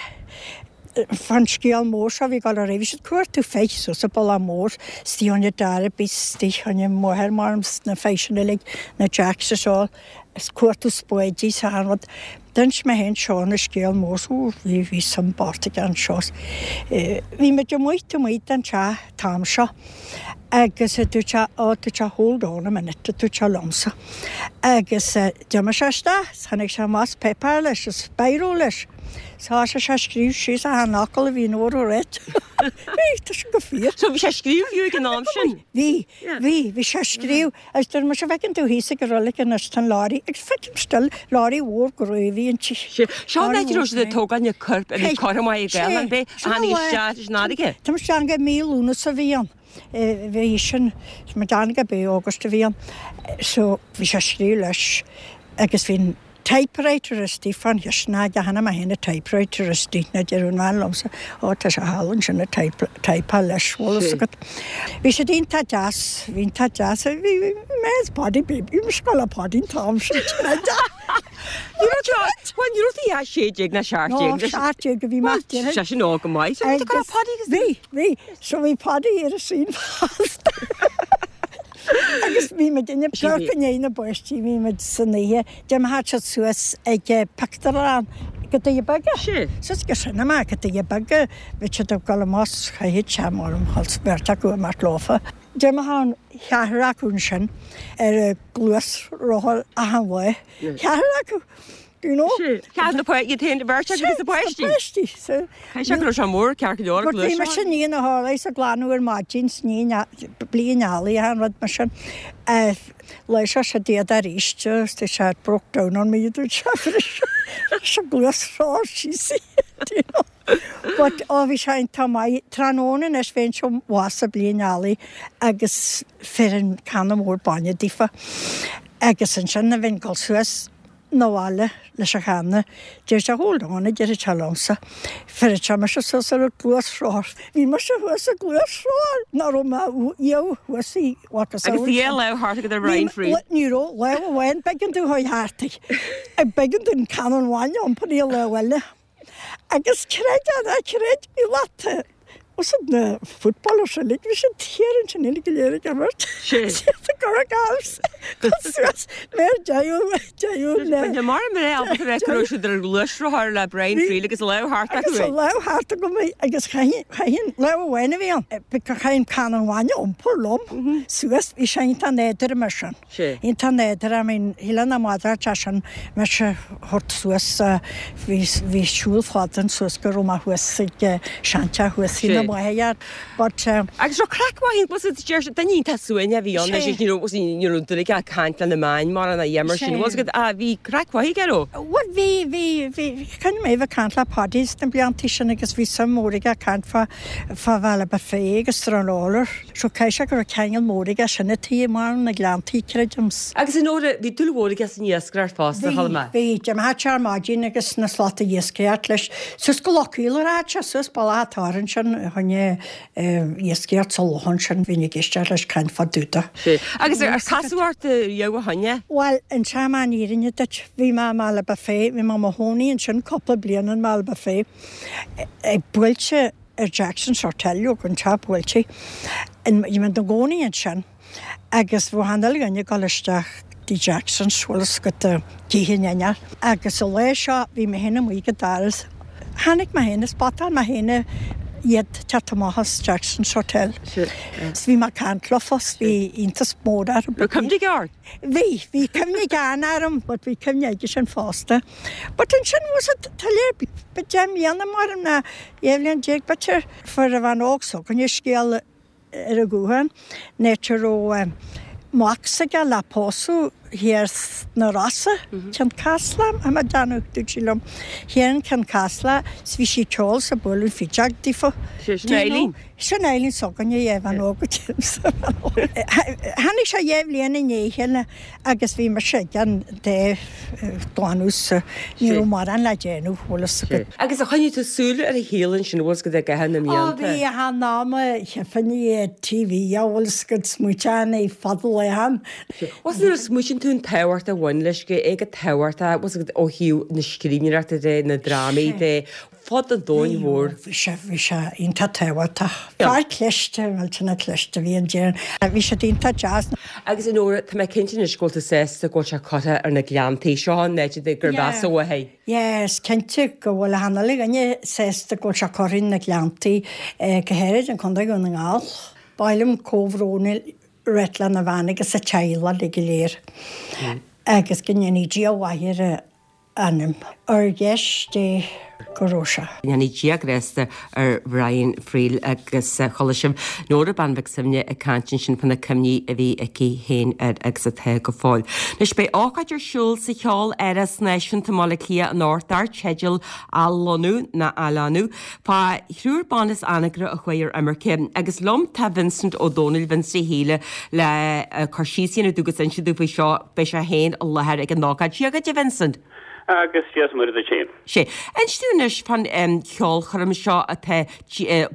Speaker 3: fán scéal mór seo a bhí ag dul ar aghaidh. Bhí siad ag cuartú féich suas an Bealach Mór, istigh ann i Darby, istigh ann i máthair mar na féich sin uilig, na Jacks is all, ag cuartú spáidí is achan rud. D'inis mé féin seo an scéal mór so bhí bhí suim bocht aige anseo. Bhí muid amuigh taobh amuigh den teach an t-am seo agus dúirt sé ó dúirt sé hold on a minute a dúirt sé liomsa. Agus d'imigh sé isteach is tháinig sé amach is páipéar leis is biro leis. Is thosaigh sé ag scríobh síos achan fhocal a bhí Nóra ag ráit. Bhí, tá sin go fíor.
Speaker 1: So bhí sé ag scríobh fiú ag an am sin?
Speaker 3: Bhí, bhí, bhí sé ag scríobh. Agus dúirt mise, bhfeiceann tú thíos ag an roilig anois, tá an lorry, agus feicim still, lorry mhór groimh inti.
Speaker 1: Seo an áit a raibh siad ag tógáil na coirp a bhí curtha amach ag Gael, an b'é a tháinig isteach leis an fharraige?
Speaker 3: Tá mise ag déanamh mí Lúnasa a bhí ann, bhí sin, tá mé ag déanamh gurb é August a bhí ann, so bhí sé ag scríobh leis agus bhí an typewriter istigh fán chistin aige, chonaic mé féin an typewriter istigh, na deir an bhean liomsa, ó tá sé thall ansin ag typeáil leis, bhfuil fhios agat. Bhí siad iontach deas, bhí iontach deas, bhí mé is Paddy baby, bhí scoil Paddy an t-am sin,
Speaker 1: Ní raibh tú, bhuel ní raibh tú ach sé déag ná seacht déag.
Speaker 3: No, seacht déag a bhí mé.
Speaker 1: Bhuel, sé sin óg go maith. So bhí tú ag Paddy agus
Speaker 3: Bhí, bhí, so bhí Paddy ar a saol fosta. Agus bhí muid ag amharc i ndiaidh na bpáistí, bhí muid san oíche, d'imigh siad suas ag pictiúrlann go Doirí Beaga. Suas go cinema go Doirí Beaga, bhí siad ag dul amach chaithfeadh sé mar an chos beirt acu amach leofa. D'imigh an cheathrar acu ansin ar a gluaisrothar achan lá. Ceathrar acu! Do you know?
Speaker 1: Ceathrar na páistí, iad féin, beirt acu agus na páistí.
Speaker 3: Na páistí. So,
Speaker 1: Caithfidh sé go raibh sé mór ceart go leor
Speaker 3: But bhí mise i ndiaidh na horlaí is ag glanadh ar maidin 's ní blí an eallaigh achan rud mar sin. Lá seo siad iad arís is tá sé broke down on me dúirt sé bhris an gluaisrothar síos í, do you know. But ó bhí sé iontach maith. Tráthnóna anois bheinnse abhus ag blí an eallaigh agus fuair canna mór bainne daofa. Agus ansin a bheinn ag dul suas 'na bhaile leis an channa. Deir sé, Hold on, a deir sé liomsa. Fuair sé mise suas ar an gluaisrothar. Bhí mise thuas ar gluaisrothar nach raibh mé riamh thuas i
Speaker 1: Agus bhí a lámh thart agat ar Brian Friel.
Speaker 3: Ní raibh lámh amháin, b'éigean domh a chuir thart í. B'éigean dom canna an bhainne a iompar í a lámh eile. Agus creid é ná creid, bhí lata os na footballers uilig, bhí siad thiar ansin uilig go léir ag imirt. Siad ag cur a gcabhs suas mar deireadh deireadh le.
Speaker 1: Bhí mar a mbeadh ábalta a rá go raibh siad ar ghluaisrothar le Brian Friel agus a lámh thart acu.
Speaker 3: Agus a lámh thart agam agus chaithfinn lámh amháin a bhí ann. Chaithfinn canna an bhainne a iompar liom suas, bhí sé iontach éadrom mar sin. Iontach éadrom, I mean, shílfeá nach madrad é sin mise a thabhairt suas, bhí, bhí siúl fada ann suas go raibh mé thuas ag seanteach thuas faoi na maithe, but.
Speaker 1: Agus raibh craic mhaith ann, was it, deir siad, duine iontach suaimhneach a bhí ann, anois ní raibh, ní raibh duine ag caint le na meáin mar an a mar sin, was it, ah, bhí craic mhaith aige, raibh?
Speaker 3: Bhuel, bhí, bhí, bhí, choinnigh mé ag caint le Paddy sna blianta sin agus bhí suim mhór aige ag caint fá, fá Bhaile Bhé agus Stranorlar. So caithfidh sé go raibh ceangal mór aige sin a taobh mar na Gleanntaí, creidim.
Speaker 1: Agus a Nóra, bhí dúil mhór aige san iascaireacht fosta, chuala mé.
Speaker 3: Bhí, bhí. D'imigh sé ar maidin agus na slata iascaireacht leis. Suas go Loch Caol a rachadh sé, suas bealach an Toir ansin, a choinne iascaireacht sa loch ansin, bhínn ag éisteacht leis caint fá dtaobh de.
Speaker 1: Sea. Agus ar casadh ort riamh ó shoin é?
Speaker 3: Bhuel, inseoidh mé an fhírinne duit, bhí mé i mBaile Bá Fé, bhí mé i mo chónaí ansin cúpla bliain i mBaile Bá Fé, ag buailte ar Jackson's Hotel, ó an teach buailte. Bhí mé i gcónaí ansin agus bhí achan uile dhuine ag dul isteach dtí Jackson's, bhfuil fhios agat, ag ithe in éineacht. Agus an lá seo bhí mé féin amuigh ag an doras. Chonaic mé féin, spotáil mé féin iad teacht amach as Jackson's Hotel. 'S bhí mé ag caint leofa 's bhí iontas mór orthu.
Speaker 1: Raibh cuimhne aige ort?
Speaker 3: Bhí, bhí cuimhne aige orm but bhí cuimhne aige sin fosta. But ansin was it tuilleadh b'fhéidir deich mbliana mar ná dhá bhliain déag b'fhéidir fuair an bhean óg s'againne scéal ar an ghuthán an áit a raibh mac s'aige le pósadh thiar sna Rosa, Ceann Caslach, tá mé ag déanamh, dúirt sí liom, thiar in Ceann Caslach 's bhí sí ag ceol 's ag bualadh fidéal daofa.
Speaker 1: Sin Eileen.
Speaker 3: Sin Eileen s'againne, yeah, bhean óg Tháinig sé dhá bhliain i ndiaidh a chéile agus bhí mise ag an dá glanadh so ní raibh mórán le déanamh, bhfuil fhios agat.
Speaker 1: Agus ar choinnigh tú súil ar a shaol ansin, bhfuil fhios agat i gcaitheamh na
Speaker 3: Ó
Speaker 1: mblianta?
Speaker 3: bhí, achan am a chífinn é ar TV, bhfuil fhios agat, smaointeoinn air fad leathan.
Speaker 1: Bhfuil nuair a smaoitíonn tú an tábhacht a bhain leis, go é go tábhachtach, bhfuil fhios agat, ó thaobh na scríbhneoireachta de, na drámaí de, fud an domhain mhóir.
Speaker 3: Bhí sé, bhí sé iontach tábhachtach. Fear cliste, millteanach cliste a bhí ann déarfainn. Bhí siad iontach deas.
Speaker 1: Agus a Nóra, tá mé cinnte anois go bhfuil tú sásta go bhfuil sé curtha ar na Gleanntaí seo an áit gur mheasa uaidh é.
Speaker 3: Yeah, is cinnte go bhfuil achan uile dhuine sásta go bhfuil sé curtha ar na Gleanntaí, go háirid in Contae Dhún na nGall. Ba mhaith liom comhbhrón a ráit lena bhean agus a teaghlach uilig go léir agus go ndéanfaidh Dia mhaith ar a anam. Ar dheis Dé go raibh sé.
Speaker 1: Go ndéana Dia grásta ar Bhrian Friel agus chuala sibh Nóra Bean Mhic Suibhne ag caint ansin fá na cuimhní a bhí aici féin air agus atá go fóill. Anois beidh ócáid ar siúl sa Cheol-Áras Náisiúnta i mBaile Átha Cliath anocht dar teideal Athlonnú nó Athlonnú fá thriúr ban as Anagaire a chuaigh ar imirce agus liom tá Vincent Ó Dónaill, Vincent Shíle le cur síos a dhéanamh dúinn agus inse dúinn faoi seo beidh sé féin i láthair ag an ócáid. Dia dhuit a Vincent.
Speaker 4: Agus Dia is Muire duit féin.
Speaker 1: Sea. Inis dúinn anois fán cheolchoirm seo atá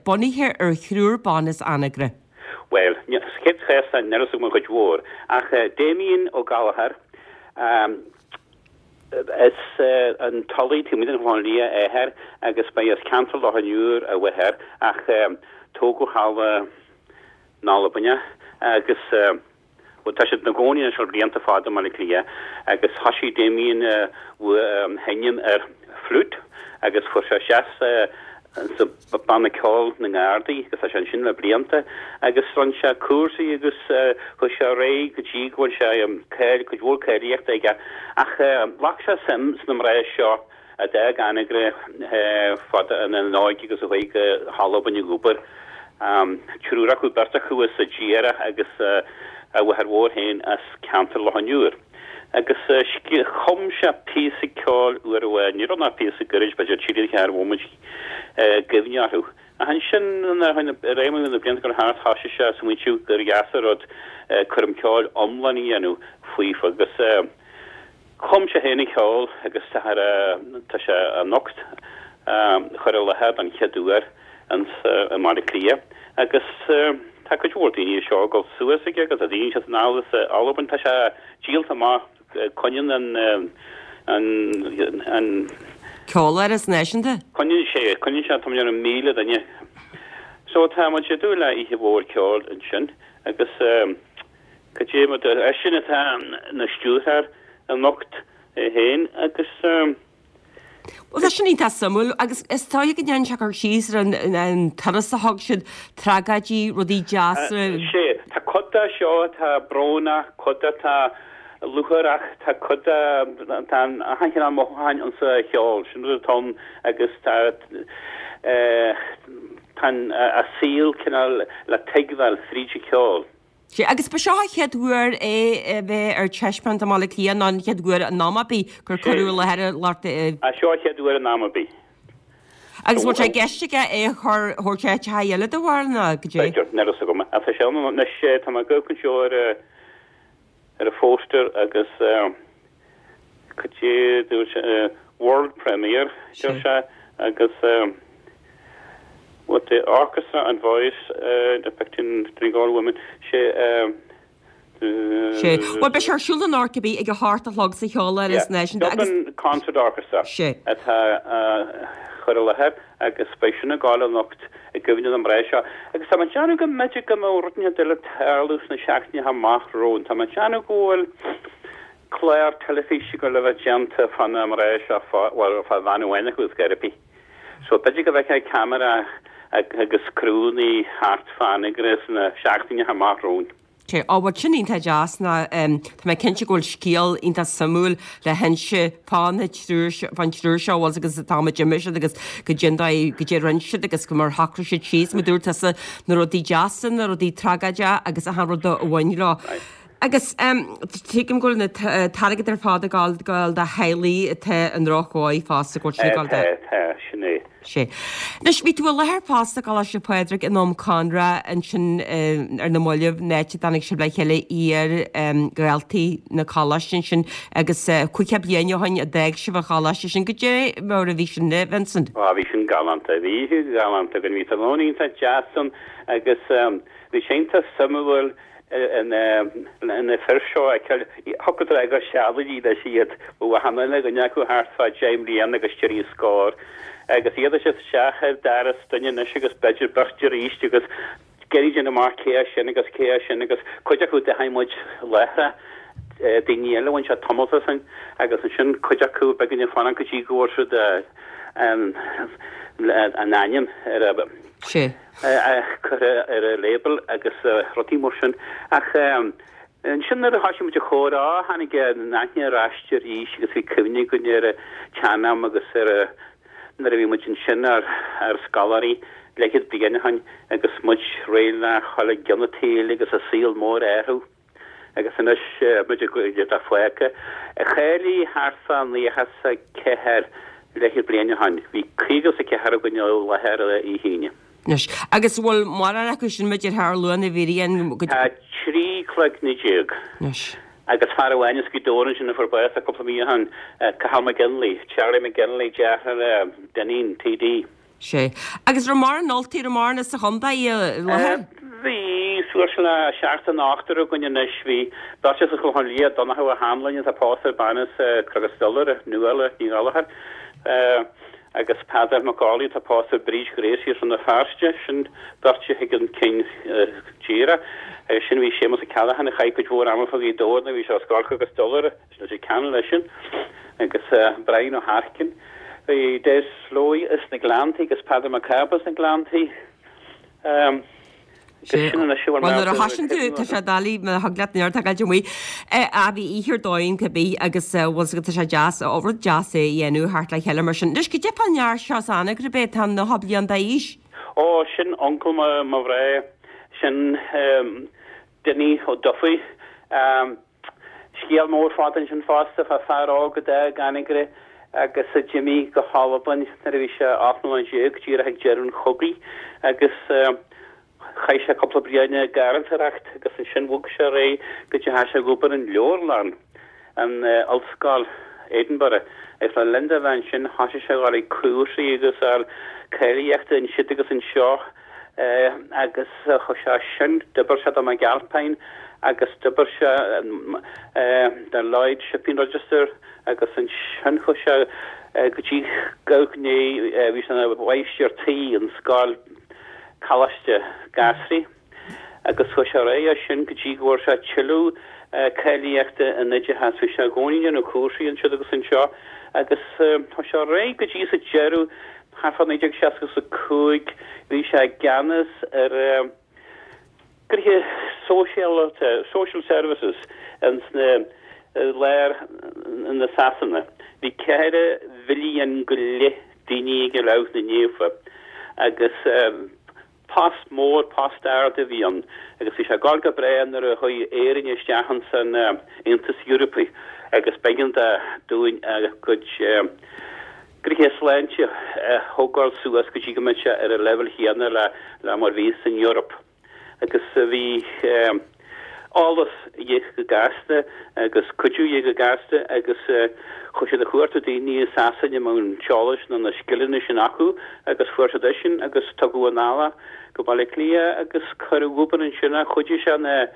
Speaker 1: bunaithe ar thriúr ban as Anagaire.
Speaker 4: Bhuel, sa chéad chás, níl a fhios agam an chuid mhór, ach Damien Ó Gallchóir, as an Tulaigh, taobh amuigh den Chlochán Liath a athair agus ba as ceantar Loch an Iúir a mháthair ach tógadh thall in Albain é agus Bhuel, tá siad ina gcónaí anois le blianta fada i mBaile Átha Cliath agus thosaigh Damien ag seinm ar flute agus fuair sé isteach sa banna ceoil na nGardaí agus tá sé ansin le blianta agus rinne sé cúrsaí agus chuaigh sé ar aghaidh go dtí go bhfuil sé cáil, cuid mhór cáilíochta aige ach ghlac sé suim sna mná seo a d'fhág Anagaire fada ina n-óige agus a chuaigh go hAlbain ag obair. Triúr acu, beirt acu as an Diarach agus a mháthair mhór féin as ceantar Loch an Iúir. Agus chum sé píosa ceoil uair amháin, ní raibh ach píosa gairid, b'fhéidir trí nó ceathair bhomaite, i gcuimhne orthu. Ach ansin, nuair a bhí na blianta ag dul thart, thosaigh sé ag smaointiú gur dheas an rud coirm ceoil iomlán a dhéanamh faofa agus Chum sé féin an ceol agus tá tá sé anocht á chur i láthair don chéad uair ins i mBaile Átha Cliath agus tá cuid mhór daoine anseo ag dul suas aige agus tá daoine ansin san anall as Albain. Tá sé díolta amach coinníonn an an an
Speaker 1: Ceoláras Náisiúnta?
Speaker 4: Coinníonn sé coinníonn sé tá mé ar míle duine. So tá muid ag dúil le oíche mhór ceoil ansin agus Cad é mar eisean atá ina stiúrthóir anocht é féin agus.
Speaker 1: Bhuel, tá sin iontach suimiúil agus is dóigh go ndéanann sé cur síos ar an turas a thug siad, tragóidí, rudaí deasa.
Speaker 4: Sea, tá cuid de seo atá brónach, cuid atá lúcháireach, tá cuid de, tá achan chineál mothúcháin insa cheol, sin rud atá ann agus tá tá a saol cineál le tuigbheáil fríd an cheol.
Speaker 1: Sea, agus ba seo an chéad uair é a bheith ar taispeáint i mBaile Átha Cliath nó an chéad uair in am ar bith gur cuireadh i láthair a lucht.
Speaker 4: Seo an chéad uair in am ar bith.
Speaker 1: Agus bhfuil sé i gceist aige é a chur, thabhairt áiteacha eile dá bharr nó cad é?
Speaker 4: B'fhéidir, níl a fhios agam. Ach tá sé ann anois, tá mé ag amharc anseo ar ar an phoster agus cad é dúirt sé, world premiere, deir sé, agus With the orchestra and voice depicting Donegal women, sé.
Speaker 1: Sé. Bhuel, beidh sé ar siúl anocht cibé ag a hocht a chlog sa Cheoláras Náisiúnta agus.
Speaker 4: Dublin Concert Orchestra
Speaker 1: Sé.
Speaker 4: atá á chur i láthair agus beidh sin ag gabháil anocht i gcuimhne na mná seo. Agus tá mé ag déanamh go mb'fhéidir go mbeadh rud inteacht eile ag tarlú sna seachtainí amach romhainn. Tá mé ag déanamh go bhfuil clár teilifíse ag gabháil a bheith déanta fá na mná seo, fá, bhuel, fá bhean amháin acu ar chor ar bith. So b'fhéidir go bhfeicfeá ceamara agus criúnna thart fá Anagaire sna seachtainí amach romhainn.
Speaker 1: Sea, á bhuel sin iontach deas ná tá mé cinnte go bhfuil scéal iontach suimiúil le hinse fá na triúr seo, fán triúr seo bhfuil agus an t-am a d'imigh siad agus goidé an dóigh, goidé a rinne siad agus go mar shocraigh siad síos, mar dúirt tusa, na rudaí deasa, na rudaí tragóideacha agus achan rud a bhain leo. Agus tuigim go bhfuil an t-airgead ar fad ag gabháil do theaghlaigh atá i ndrochdhóigh fosta, go bhfuil sin ag gabháil do.
Speaker 4: Tá, tá, sin é.
Speaker 1: Sea. Anois, bhí tú i láthair fosta i gColáiste Phádraig in am Conradh ansin ar na mallaibh, an áit a dtáinig sibh le chéile iar-dhaltaí na coláiste ansin agus caoga bliain ó shin a d'fhág sibh an choláiste sin. Goidé mar a bhí sin, a Vincent?
Speaker 4: Á, bhí sin galánta. Bhí oíche ghalánta againn. Bhí tráthnóna iontach deas ann agus bhí sé iontach suimiúil na fir seo a fheiceáil. Thiocfadh leat gur seandaoine anois iad, bheadh achan uile dhuine acu thart fá deich mbliana agus trí scór, agus iad ag teacht isteach ar doras duine anois agus b'fhéidir beirt arís agus ag iarraidh déanamh amach cé é sin agus cé é sin agus cuid acu d'aithin muid láithreach, daoine eile a bhain sé tamalt ó shin agus ansin cuid acu b'éigean fanacht go dtí go bhfuair siad a n-ainm ar a.
Speaker 1: Sea.
Speaker 4: curtha ar a label agus rudaí mar sin. Ach ansin nuair a thoisigh muid ag comhrá tháinig an aithne ar ais arís agus bhí cuimhne againn ar an tsean-am agus ar nuair a bhí muid ansin ar ár scoláirí leathchéad bliain ó shin agus muid réidh le dhul i gcionn an tsaoil agus an saol mór orthu. Agus anois muid ag iad fágtha. Cháiligh thart fá naocha is a ceathair leathchéad bliain ó shin. Bhí caoga is a ceathair againn i láthair oíche hAoine.
Speaker 1: Anois, agus an bhfuil mórán acu sin b'fhéidir thar luath na bhfírinne go.
Speaker 4: Tá trí cloigne déag.
Speaker 1: Anois.
Speaker 4: Agus fear amháin as Gaoth Dobhair ansin a fuair bás cúpla mí ó shin, Cathal McGinley, Charlie McGinley, deartháir le Dineen, TD.
Speaker 1: Sea. Agus raibh mórán Ultaigh, raibh mórán as an chontae i láthair?
Speaker 4: Bhí, suas le seacht nó ochtar againn anois. Bhí beirt as an Chlochán Liath, Donncha Ó hAnluain atá pósta ar bean as Cnoc an Stolaire, Nuala Ní Ghallchóir. Agus Peadar Mac Aulay atá pósta ar Bríd Ghracie as Rann na Feirste, sin beirt a thuigeann cinn tíre. Agus sin bhí Séamus O'Callaghan a chaith cuid mhór ama fá Ghaoth Dobhair nuair a bhí sé as Corcaigh agus Dollar is Leitir Ceanainn leis sin. Agus Brian Ó hEaircín. Bhí Des Slowey as na Gleanntaí agus Peadar Mac Cába as na Gleanntaí.
Speaker 1: Sé. Bhuel, nuair a thosaíonn tú, tá sé doiligh, má thig leat neart a ghaid amuigh. A bhí oíche ar dóigh ann cibé agus bhfuil 's agat, tá sé deas, rud deas é a dhéanamh thart le chéile mar sin. Anois, cad é fán fhear seo as Anagaire ab é atá nócha bliain d'aois?
Speaker 4: Ó, sin uncail mo, mo mhná, sin Dinny Ó Dufaigh. Scéal mór fada ansin fosta fá fear óg a d'fhág Anagaire agus a d'imigh go hAlbain nuair a bhí sé ocht mbliana déag, díreach ag deireadh an chogaidh agus chaith sé cúpla bliain ag garraíodóireacht agus ansin bhog sé ar aghaidh go dteachaigh sé ag obair in leabharlann in Ollscoil Edinburgh agus le linn dó a bheith ansin thosaigh sé a dhul ag cúrsaí agus ar cáilíochta ansiúd agus anseo agus chuaigh sé as sin, d'oibir sé do McAlpine agus d'oibir sé do Lloyd Shipping Register agus ansin chuaigh sé go dtí go bhí sé ina mháistir tí in scoil Coláiste Ghasraí agus chuaigh sé ar aghaidh as sin go dtí go bhfuair sé tuilleadh cáilíochta in oideachas. Bhí sé i gcónaí ag déanamh cúrsaí ansiúd agus anseo agus chuaigh sé ar aghaidh go dtí sa deireadh thart fá naoi déag seasca is a cúig bhí sé i gceannas ar gnoithe sóisialta, social services, ins na lár na Sasana. Bhí ceithre mhilliún go leith daoine ag labhairt na naofa agus post mór, post ard a bhí ann agus bhí sé ag gabháil go breá nuair a chuaigh Éirinn isteach ins an Aontas Eorpaigh agus b'éigean dúinn a gcuid gnoithe sláinte a thógáil suas go dtí go mbeadh sé ar an leibhéal chéanna le mar bhí san Eoraip. Agus bhí eolas a dhíth go gasta agus cuidiú a dhíth go gasta agus chuaigh siad a chuartú daoine i Sasana a mbeadh an t-eolas nó na scileanna sin acu agus fuair siad eisean agus tugadh anall go Baile Átha Cliath agus cuireadh ag obair ansin é. Chuidigh sé na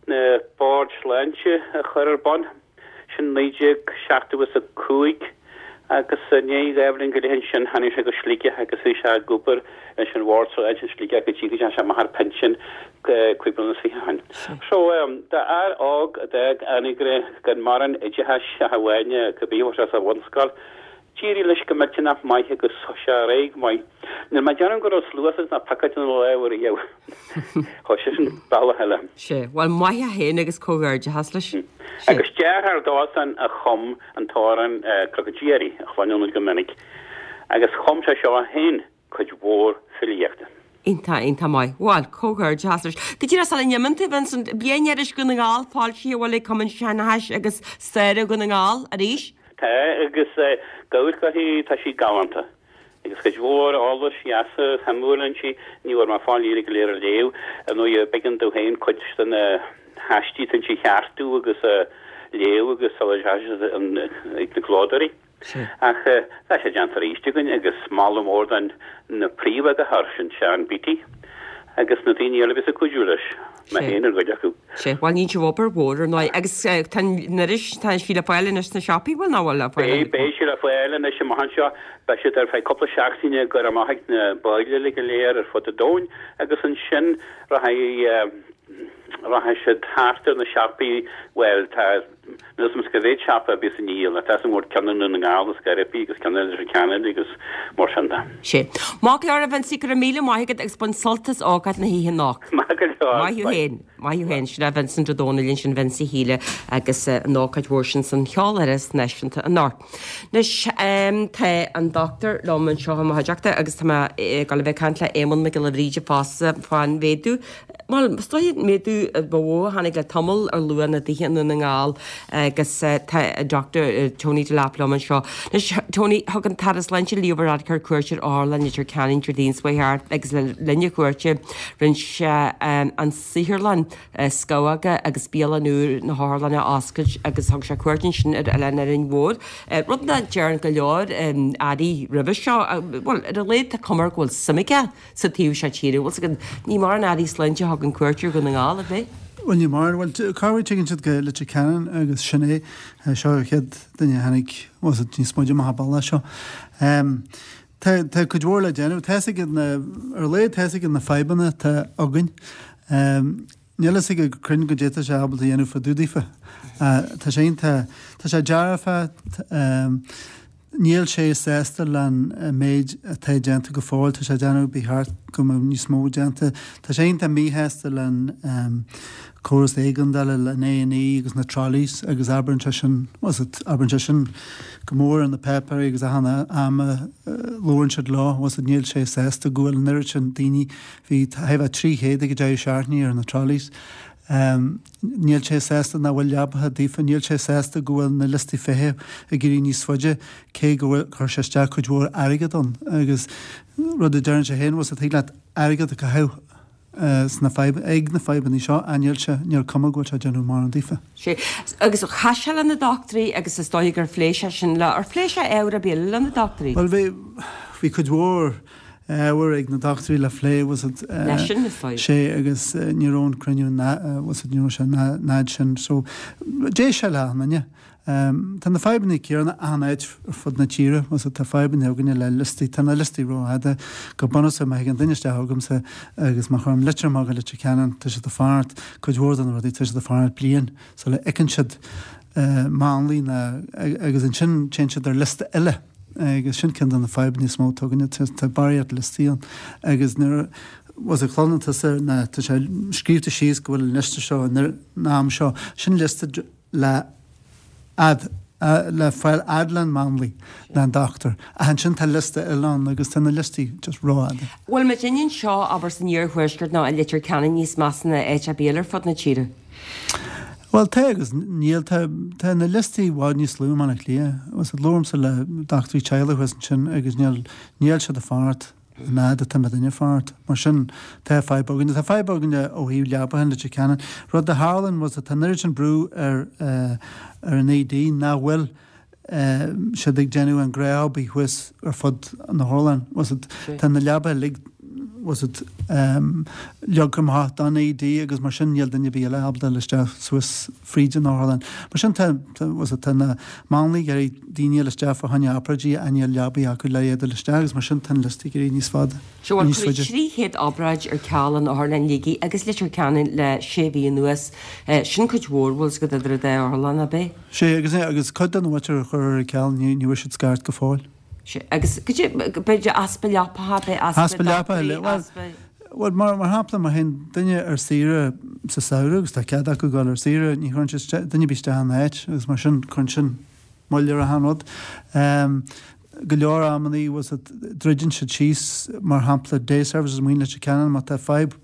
Speaker 4: na boird sláinte a chur ar bun. Sin naoi déag seachtó is a cúig agus i ndiaidh dhá bhliain go leith ansin tháinig sé go Sligeach agus bhí sé ag obair leis an Bhord Sláinte i Sligeach go dtí go dteachaigh sé amach ar pinsean cúig bliana is fiche ó shin. So d'fhear óg a d'fhág Anagaire gan mórán oideachais ach amháin cibé a fuair sé sa bhunscoil, D'éirigh leis go millteanach maith agus chuaigh sé ar aghaidh go maith. Níl mé ag déanamh go raibh sluas agus ná pocáid ina lámh ariamh. Chuaigh sé sin bealach eile.
Speaker 1: Sea, bhuel, maith é féin agus comhghairdeachas leis. Sea.
Speaker 4: Agus deartháir dósan a chum an t-amhrán Cnoc an Tí a chluineann muid go minic. Agus chum sé seo féin cuid mhór filíochta.
Speaker 1: Iontach, iontach maith. Bhuel, comhghairdeachas leis. Go díreach sula n-imíonn tú, Vincent, Bliainiris Dhún na nGall foilsithe an bhfuil ag Cumann Seanchais agus Staire Dhún na nGall arís?
Speaker 4: Tá, agus gabh uirthi, tá sí galánta. Agus cuid mhór eolais dheasa shuimiúil inti, ní bhfuair mé fáil iad go léir a léamh, ar ndóigh b'éigean domh féin cuid de na haistí atá inti a cheartú agus a léamh agus sula dteachaigh siad ag na clódóirí. Ach tá sé déanta arís againn agus moladh mór don na príomheagarthóir, sin Seán Beattie, agus na daoine eile a bhíos ag cuidiú leis, mé féin ar chuid acu.
Speaker 1: Sea, bhuel níonn sibh obair mhór ar ndóigh agus tá an iris, tá sí le fáil anois sna siopaí, bhfuil nó bhfuil le fáil?
Speaker 4: Beidh, beidh sí le fáil anois amach anseo, beidh siad ar feadh cúpla seachtaine ag goil amach ag na baill uilig go léir ar fud an domhain agus ansin rachaidh, rachaidh siad thart ar na siopaí, bhuel tá, Níl 'fhios a'm cá mhéad siopa a bhíos á ndíol, ach tá 'fhios a'm go bhfuil ceann i nDún na nGall is Gairibí agus ceann i Leitir Ceanainn agus mar sin de.
Speaker 1: Sea. Maith go leor a Vincie, go raibh míle maith agat agus bain sult as ócáid na hoíche anocht.
Speaker 4: Maith go leor.
Speaker 1: Maith thú féin. Maith thú féin. Sin é Vincent Ó Dónaill ansin, Vincie Shíle agus an ócáid mhór sin san Cheoláras Náisiúnta anocht. Anois tá an dochtúir liom anseo i mo chuideachta agus tá mé ag dul a bheith ag caint le Éamonn Mac Giolla Bhríde fosta fán mhéadú Bhuel, is dóiche an méadú ba mhó a tháinig le tamall ar luach na dtithe i nDún na nGall agus tá Doctor Tony Delap liom anseo. Anois, Tony, thug an tAire Sláinte Leo Varadkar cuairt ar Otharlann Leitir Ceanainn Déardaoin seo thart agus le linn a chuairte rinne sé an saotharlann scamhóga agus bialann úr na hotharlainne a oscailt agus thug sé cuairt ansin ar Oileán Árainn Mhór, rud nach dtearn go leor airí roimhe seo. Bhuel, ar a laghad tá cuma air go bhfuil suim aige sa taobh seo tíre. Bhfuil 's agat, ní mórán airí sláinte a thugann cuairt ar Dhún na nGall, ab é?
Speaker 5: Bhuel ní mórán, bhuel corruair tagann siad go Leitir Ceanainn agus sin é, seo an chéad duine a tháinig, bhuel níos moille amach an bealach seo. Tá tá cuid mhór le déanamh, tá fhios aige na, ar a laghad tá fhios aige na fadhbanna atá againn. Níl fhios aige go cruinn goidé tá sé ábalta a dhéanamh fá dtaobh daofa. Tá sé iontach, tá sé dearfach, Níl sé sásta len méid atá déanta go fóill. Tá sé ag déanamh ba cheart go mbeadh níos mó déanta. Tá sé iontach míshásta len córas éigeandála len A and E agus na trolleys agus abraíonn sé sin, bhuel abraíonn sé sin go mór ar na páipéirí agus achan am a labhrann siad leo, bhuel níl sé sásta go bhfuil an oiread sin daoine, bhí thart fá trí chéad ag an deireadh seachtaine ar na trolleys. Níl sé sásta nach bhfuil leapacha daofa, níl sé sásta go bhfuil na liostaí feithimh ag éirí níos faide, cé go bhfuil, chuir sé isteach cuid mhór airgead ann agus rud a deireann sé féin, bhuel thig leat airgead a chaitheamh sna fadhb, ag na fadhbanna seo ach níl sé, níl cuma go bhfuil sé ag déanamh mórán daofa.
Speaker 1: Sea, agus chas sé le na dochtúirí agus is dóigh gur phléigh sé sin le, ar phléigh sé ábhar ar bith eile le na dochtúirí?
Speaker 5: Bhuel bhí, bhí cuid mhór ábhar ag na dochtúirí le phlé, was it,
Speaker 1: Leisean, is dóigh.
Speaker 5: Sea, agus ní raibh an cruinniú, was it, ní raibh sé an fhad sin. So, d'éist sé le achan duine. Tá na fadhbanna céanna achan áit ar fud na tíre, was it, tá fadhbanna againne le liostaí, tá na liostaí rófhada. Go bunúsach, má thagann duine isteach chugamsa agus má chuirim litir amach go Leitir Ceanainn, tá siad ag fanacht, cuid mhór de na rudaí, tá siad ag fanacht bliain sula fheiceann siad máinlia ná, agus ansin téann siad ar liosta eile. Agus sin ceann de na fadhbanna is mó atá againne, tá barraíocht liostaí ann agus nuair a chluineann tusa ná tá sé scríobhta síos go bhfuil an liosta seo an am seo, sin liosta le fhad le fáil fhad leis an máinlia ná an dochtúir. Ach ansin tá liosta eile ann agus tá na liostaí just rófhada.
Speaker 1: Bhfuil muidinne anseo, abair san iarthuaisceart nó i Leitir Ceanainn níos measa ná áit ar bith eile ar fud na tíre?
Speaker 5: Bhuel, tá agus níl. Tá, tá na liostaí i bhfad níos lú i mBaile Átha Cliath. Agus labhraímse le dochtúirí teaghlaigh thuas ansin agus níl, níl siad ag fanacht an fhad atá muidinne ag fanacht. Mar sin, tá fadhb againne. Tá fadhb againne ó thaobh leapacha in Leitir Ceanainn. Rud a tharlaíonn, was tá an oiread sin brú ar, ar an ED nach bhfuil siad ag déanamh an ghnáth-obair thuas ar fud na hotharlann. Was it, tá na leapacha uilig, was it, leagtha amach don ED agus mar sin níl duine ar bith eile ábalta dul isteach suas fríd an otharlann. Mar sin tá, was it, tá na máinliaigh ag iarraidh daoine a fháil isteach fá choinne obráidí ach níl leapaí acu le iad a fháil isteach agus mar sin tá an liosta ag éirí níos fada,
Speaker 1: Seo bhuel
Speaker 5: níos
Speaker 1: cuireadh
Speaker 5: faide.
Speaker 1: trí chéad obráid ar ceal in Otharlann Shligigh agus Leitir Ceanainn le sé mhí anuas. Sin cuid mhór, bhfuil 's agat idir an dá otharlann, ab é?
Speaker 5: Sea, agus, agus cuid den mhuintir a chuir ar ceal ní, ní bhfuair siad scairt go fóill.
Speaker 1: Sea, agus goidé, b'fhéidir easpa leapacha, b'é easpa
Speaker 5: Easpa leapacha,
Speaker 1: dochtúirí,
Speaker 5: bhuel,
Speaker 1: easpa.
Speaker 5: bhuel, mar, mar shampla, má théann duine ar saoire sa samhradh, agus tá cead acu dul ar saoire, ní chuireann siad duine ar bith isteach ina áit, agus mar sin, cuireann sin moill ar achan rud. Go leor amannaí, bhfuil 's agat, druideann siad síos, mar shampla, day services amuigh in Leitir Ceanainn, má tá fadhb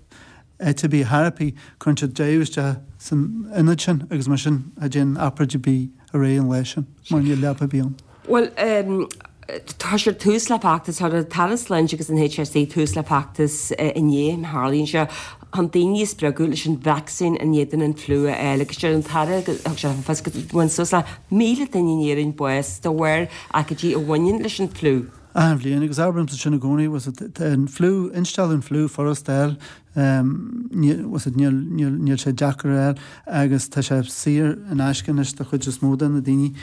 Speaker 5: áit ar bith thar ar bith, cuireann siad deireadh isteach san ionad sin agus mar sin cha dtéann obráid ar bith ar aghaidh an lá sin mar níl leapa ar bith ann.
Speaker 1: Bhuel, tá siad tús le feachtas, chuir an tAire Sláinte agus an HSE tús le feachtas inné, má tharlaíonn sé, chun daoine a spreagadh leis an vacsaín in éadan an fliú a fháil agus deir an tAire, thug sé le fios go bhfaigheann suas le míle duine in Éirinn bás de bharr aicídí a bhaineann leis an fliú.
Speaker 5: Achan bhliain, agus abraímse sin i gcónaí, was it, tá an fliú, instealladh an fliú furasta a fháil, níl, was it, níl, níl, níl sé deacair a fháil agus tá sé saor in aisce anois do chuid is mó de na daoine.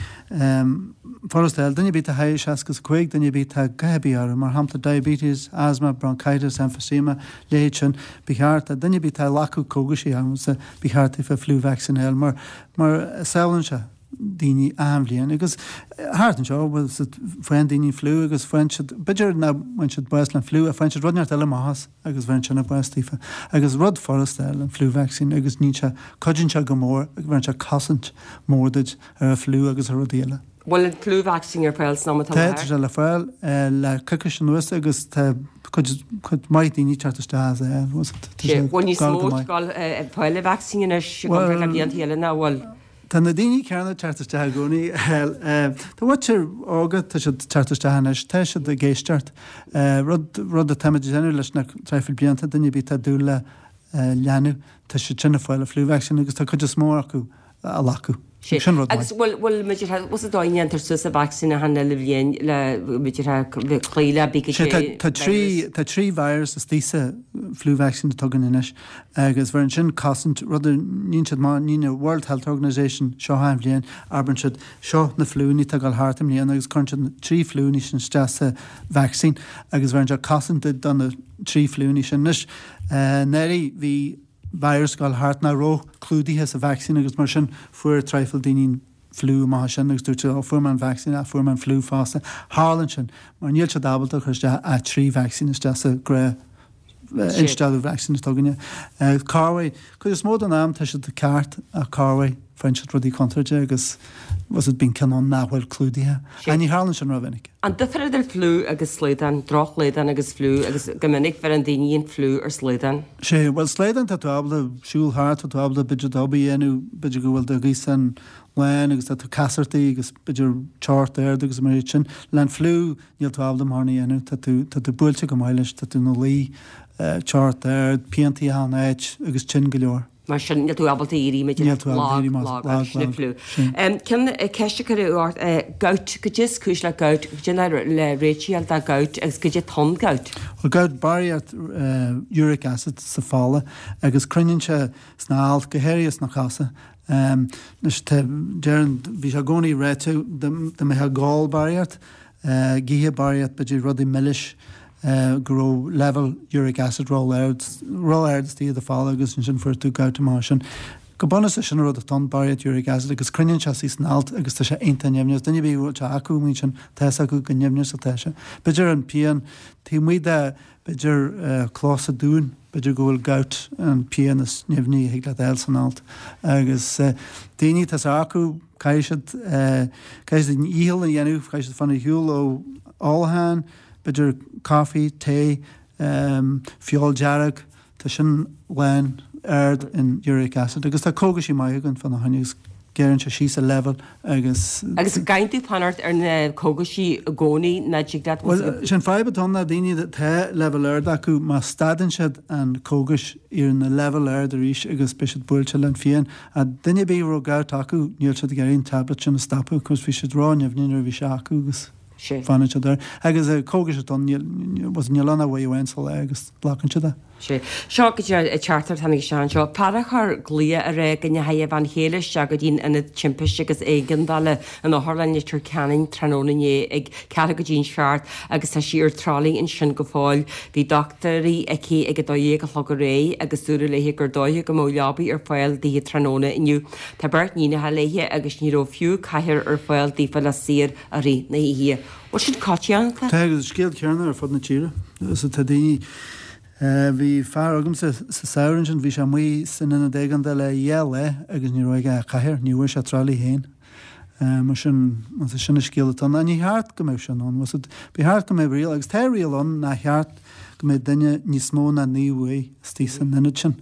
Speaker 5: Furasta a fháil, duine ar bith atá thar seasca is a cúig, duine ar bith atá a dhath ar bith orthu, mar shampla diabetes, asthma, bronchitis, emphysema, leithéid sin, ba cheart, duine ar bith atá ag glacadh cógaisí, ba cheart daofa flu vaccine a fháil mar, mar sábhálann sé. daoine achan bhliain agus thart anseo bhfuil 's agat faigheann daoine an fliú agus faigheann siad b'fhéidir nach bhfaigheann siad bás le an fliú ach faigheann siad rud inteacht eile amach as agus bheireann sin bás daofa agus rud furasta an flu vaccine agus níonn sé cuidíonn sé go mór agus bheireann sé cosaint mór duit ar an fliú agus ar rudaí eile.
Speaker 1: Bhfuil an flu vaccine ar fáil san am atá
Speaker 5: Tá tá sé le fáil le coicís anuas agus tá cuid cuid mhaith daoine ag teacht isteach as é bhfuil 's agat tá sé
Speaker 1: Bhfuil níos
Speaker 5: gar
Speaker 1: mó
Speaker 5: go maith.
Speaker 1: ag dul ag fáil an vacsaín anois i gcomparáid le
Speaker 5: Bhuel
Speaker 1: blianta eile ná bhfuil?
Speaker 5: Tá na daoine céanna ag teacht isteach i gcónaí. Tá muintir óga, tá siad ag teacht isteach anois, tá siad ag éisteacht. Rud, rud atáimid ag déanamh leis na traidhfil blianta, duine ar bith atá ag dúil le leanbh, tá siad sin ag fáil an flu vaccine agus tá cuid is mó acu á ghlacadh. Sin rud maith.
Speaker 1: Agus bhfuil bhfuil muid ar bhfuil sa dóigh a ndéantar suas an vacsaín achan uile bhliain le muid ar cloí le bí
Speaker 5: Sé tá tá trí tá trí virus istigh sa flu vaccine atá againn anois agus bheireann sin cosaint rud a níonn siad má níonn an World Health Organization seo achan bhliain abraíonn siad seo na fliúnna atá ag dul thart i mbliana agus cuireann siad na trí fliúnna sin isteach sa vaccine agus bheireann sé cosaint duit do na trí fliúnna sin. Anois anuraidh bhí virus ag dul thart nach raibh clúdaithe sa vaccine agus mar sin fuair traidhfil daoine an fliú amach as sin agus dúirt siad, oh fuair mé an vaccine ach fuair mé an fliú fosta. Tharlaíonn sin mar níl siad ábalta cur isteach ach trí vaccine isteach sa ghnáth instealladh vaccine atá againne. Corruair, cuid is mó den am tá siad ceart ach corruair faigheann siad rudaí contúirte agus was it bíonn ceann ann nach bhfuil clúdaithe. Ach ní tharlaíonn sin rómhinic.
Speaker 1: An difear idir fliú agus slaghdán, drochshlaghdán agus fliú agus go minic bheireann daoine an fliú ar shlaghdán.
Speaker 5: Sé, bhuel slaghdán tá tú ábalta siúl thart, tá tú ábalta b'fhéidir d'obair a dhéanamh, b'fhéidir go bhfuil do ghaosán lán agus tá tú casartaí agus b'fhéidir teocht ard agus mar sin. Le an fliú níl tú ábalta mórán a dhéanamh, tá tú, tá tú buailte go maith leis, tá tú ina luí, teocht ard, piantaí achan áit agus tinn go leor.
Speaker 1: Mar sin níl tú ábalta éirí maidir
Speaker 5: Níl tú ábalta
Speaker 1: lag,
Speaker 5: éirí más
Speaker 1: lag,
Speaker 5: lag,
Speaker 1: agus sin
Speaker 5: lag,
Speaker 1: fliú.
Speaker 5: sin.
Speaker 1: Ceann ceist a cuireadh ort, gout, goidé is cúis le gout, goidé le le réiteach do gout agus goidé atá ann gout.
Speaker 5: Bhuel gout barraíocht uric acid sa fola agus cruinníonn sé sna hailt, go háirithe sna cosa. Anois tá, deireann, bhí sé i gcónaí ráite dá mbeifeá ag ól barraíocht, ag ithe barraíocht, b'fhéidir rudaí milis, go raibh leibhéal uric acid ró-ard, ró-ard istigh i do fola agus ansin fuair tú gout amach sin. Go bunúsach sin an rud atá ann, barraíocht uric acid agus cruinníonn sé suas san alt agus tá sé iontach nimhneach. Duine ar bith a bhfuil sé acu amuigh ansin, tá fhios acu go nimhneach atá sé. B'fhéidir an pian taobh amuigh de, b'fhéidir cluasa dúin, b'fhéidir go bhfuil gout an pian is nimhní a thig leat a fháil san alt. Agus daoine atá sé acu, caithfidh siad, caithfidh siad a ndícheall a dhéanamh, caithfidh siad fanacht ar shiúl ó ólachán, b'fhéidir caife, tae, feoil dearg, tá sin lán ard in uric acid agus tá cógaisí maith againn fána choinne agus gearrann sé síos an leibhéal agus.
Speaker 1: Agus an gcaithfidh tú fanacht ar na cógaisí i gcónaí nó dtig leat.
Speaker 5: Bhuel, sin fadhb atá ann ná daoine atá leibhéal ard acu má stadann siad an cógais éiríonn na leibhéal ard arís agus beidh siad buailte le an phian. Ach duine ar bith a raibh gout acu níl siad ag iarraidh an tablet sin a stopadh cos bhí siad ró-nimhní nuair a bhí sé acu agus. Fanann siad air. Agus cógais atá ann, níl ann ach uair amháin sa lá agus glacann siad é.
Speaker 1: Sea. Seo go dtí an teachtaireacht a tháinig isteach anseo. Fear a chuir glao ag rá go ndeachaigh a bhean chéile isteach go dtí'n Ionad Timpiste agus Éigeandála in Otharlann Leitir Ceanainn tráthnóna inné ag ceathrú go dtí'n seacht agus tá sí ar trolley ansin go fóill. Bhí dochtúirí aici ag a dó dhéag a chlog aréir agus dúradh léi gur dóiche go mbeadh leabaidh ar fáil daoithe tráthnóna inniu. Tá beirt níonacha léi agus ní raibh fiú cathaoir ar fáil daofa le suí air i rith na hoíche. Bhfuil sin coitianta?
Speaker 5: Tá agus scéal céanna ar fud na tíre. So tá daoine, bhí fear agamsa sa samhradh ansin, bhí sé amuigh san ionad éigeandála dhá lá agus ní raibh aige ach cathaoir, ní bhfuair sé trolley féin. Mar sin, sin an scéal atá ann. Ní cheart go mbeadh sin ann. Ba cheart go mbeadh riail, agus tá riail ann, nár cheart go mbeadh duine níos mó ná naoi uair istigh san ionad sin.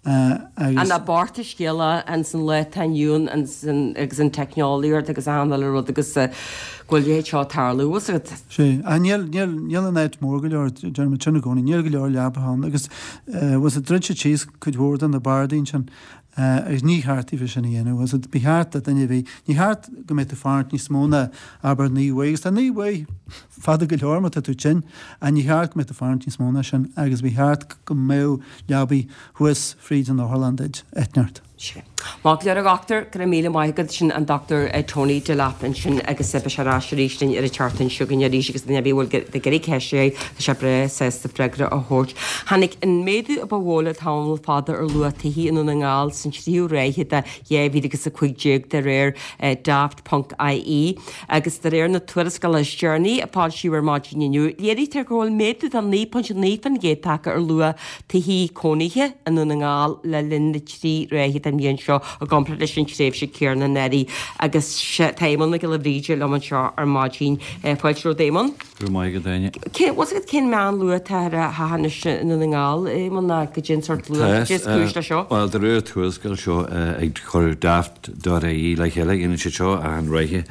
Speaker 1: Agus. An bocht an scéal é ins an lá atá inniu ann agus an teicneolaíocht agus achan uile rud agus go bhfuil a leithéid seo ag tarlú, bhfuil 's agat.
Speaker 5: Sea. Ach níl, níl, níl an áit mór go leor, deirim sin i gcónaí, níl go leor leapacha ann agus, bhfuil 's agat, dhruid siad síos cuid mhór de na bardaí ansin. Agus ní cheart daofa sin a dhéanamh. Bhfuil 's agat, ba cheart do duine ar bith, ní cheart go mbeadh tú ag fanacht níos mó ná, abair, naoi uair, agus tá naoi uair fada go leor má tá tú tinn, ach ní cheart go mbeadh tú ag fanacht níos mó ná sin agus ba cheart go mbeadh leabaí thuas fríd an otharlann duit, eitneart.
Speaker 1: Sea. Maith go leor a dhochtúir, go raibh míle maith agat. Sin an Dochtúir Tony Delap ansin agus beidh sé ar ais arís linn ar an tseachtain seo chugainn arís agus duine ar bith a bhfuil ag iarraidh ceist a chur, tá sé breá sásta freagra a thabhairt. Tháinig an méadú a ba mhó le tamall fada ar luach tithe i nDún na nGall san tríú ráithe de dhá mhíle agus a cúig déag de réir Daft ponc ie agus de réir na tuarascála is deireanaí a foilsíodh ar maidin inniu, léirítear go bhfuil méadú de naoi ponc naoi faoin gcéad tagtha ar luach tithe cónaithe i nDún na nGall le linn na trí ráithe den bhliain seo i gcomparáid leis an tréimhse chéanna anuraidh agus tá Éamonn Mac Giolla Bhríde liom anseo ar maidin. Fáilte romhat Éamonn.
Speaker 6: Go raibh maith agat Áine.
Speaker 1: Cén, bhfuil 's agat cén meánluach atá ar a theach anois i nDún na nGall, Éamonn, ná goidé an sórt luach, goidé is cúis leis seo?
Speaker 6: Bhuel, de réir tuarascáil seo ag cur Daft dot ie le chéile, dhéanann siad seo achan ráithe,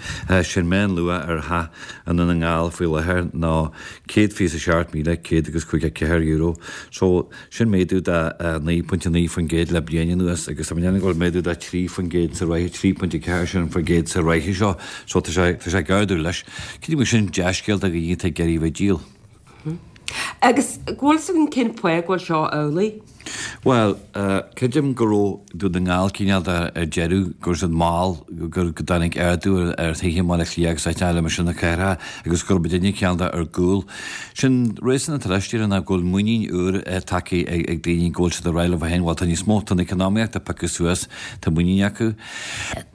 Speaker 6: sin meánluach ar theach i nDún na nGall faoi láthair ná céad fiche is a seacht míle céad agus caoga ceathair euro. So, sin méadú de naoi pointe naoi faoin gcéad le bliain anuas agus tá ndéanamh go bhfuil méadú de trí faoin gcéad sa ráithe, trí pointe ceathair sin faoin gcéad sa ráithe seo, so tá sé, tá sé ag ardú leis. Creidim go sin dea-scéal do dhaoine atá ag iarraidh a bheith ag díol.
Speaker 1: Agus go bhfuil fhios againn cén fáth go bhfuil seo amhlaidh?
Speaker 6: Bhuel, creidim go raibh Dún na nGall cineál de ar deireadh, go raibh siad mall, go dtáinig ardú ar thithe i mBaile Átha Cliath agus áiteanna eile mar sin na cathracha agus go raibh muidinne cineál de ar gcúl. Sin réasún atá leis, déarfainn, ná go bhfuil muinín úr tagtha ag daoine go bhfuil siad ag rá leo féin, bhuel tá níos mó, tá an economaíocht ag piocadh suas, tá muinín acu.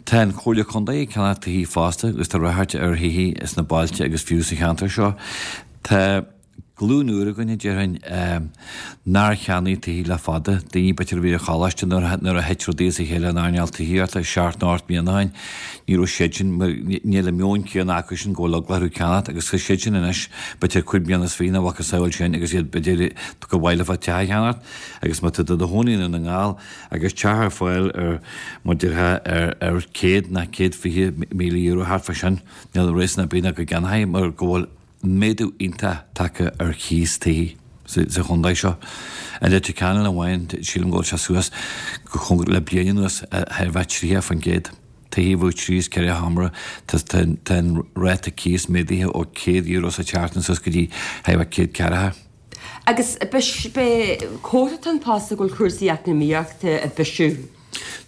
Speaker 6: Tá an Chomhairle Contae ag ceannach tithe fosta agus tá ráchairt ar thithe sna bailte agus fiú sa cheantar seo. Tá. Glúin úr againn, a déarfainn, nár cheannaigh tithe le fada, daoine b'fhéidir a bhí ar choláiste nuair a thit rudaí as a chéile in earnáil tithíochta seacht nó ocht mbliana ó shin, ní raibh siad sin, níl an meon céanna acu sin go bhfuil eagla orthu ceannacht agus tá siad sin anois b'fhéidir cúig bliana is fiche nó a mhacasamhail sin agus iad b'fhéidir gur mhaith leofa teach a cheannacht agus má tá tú i do chónaí i nDún na nGall agus teach ar fáil ar, mar déarfá, ar ar céad nó céad fiche míle euro thart fá sin, níl réasún ar bith ná go gceannófaí mar go bhfuil méadú iontach tagtha ar chíos tithe sa chontae seo. I Leitir Ceanainn amháin, sílim go bhfuil sé suas go cóngarach le bliain anuas thar a bheith tríocha faoin gcéad. Tithe a bheadh trí is ceithre sheomra, tá an ráta cíos méadaithe ó céad euro sa tseachtain suas go dtí thar a bheith céad ceathracha.
Speaker 1: Agus b'é comhartha an fosta go bhfuil cúrsaí eacnamaíochta ag bisiú.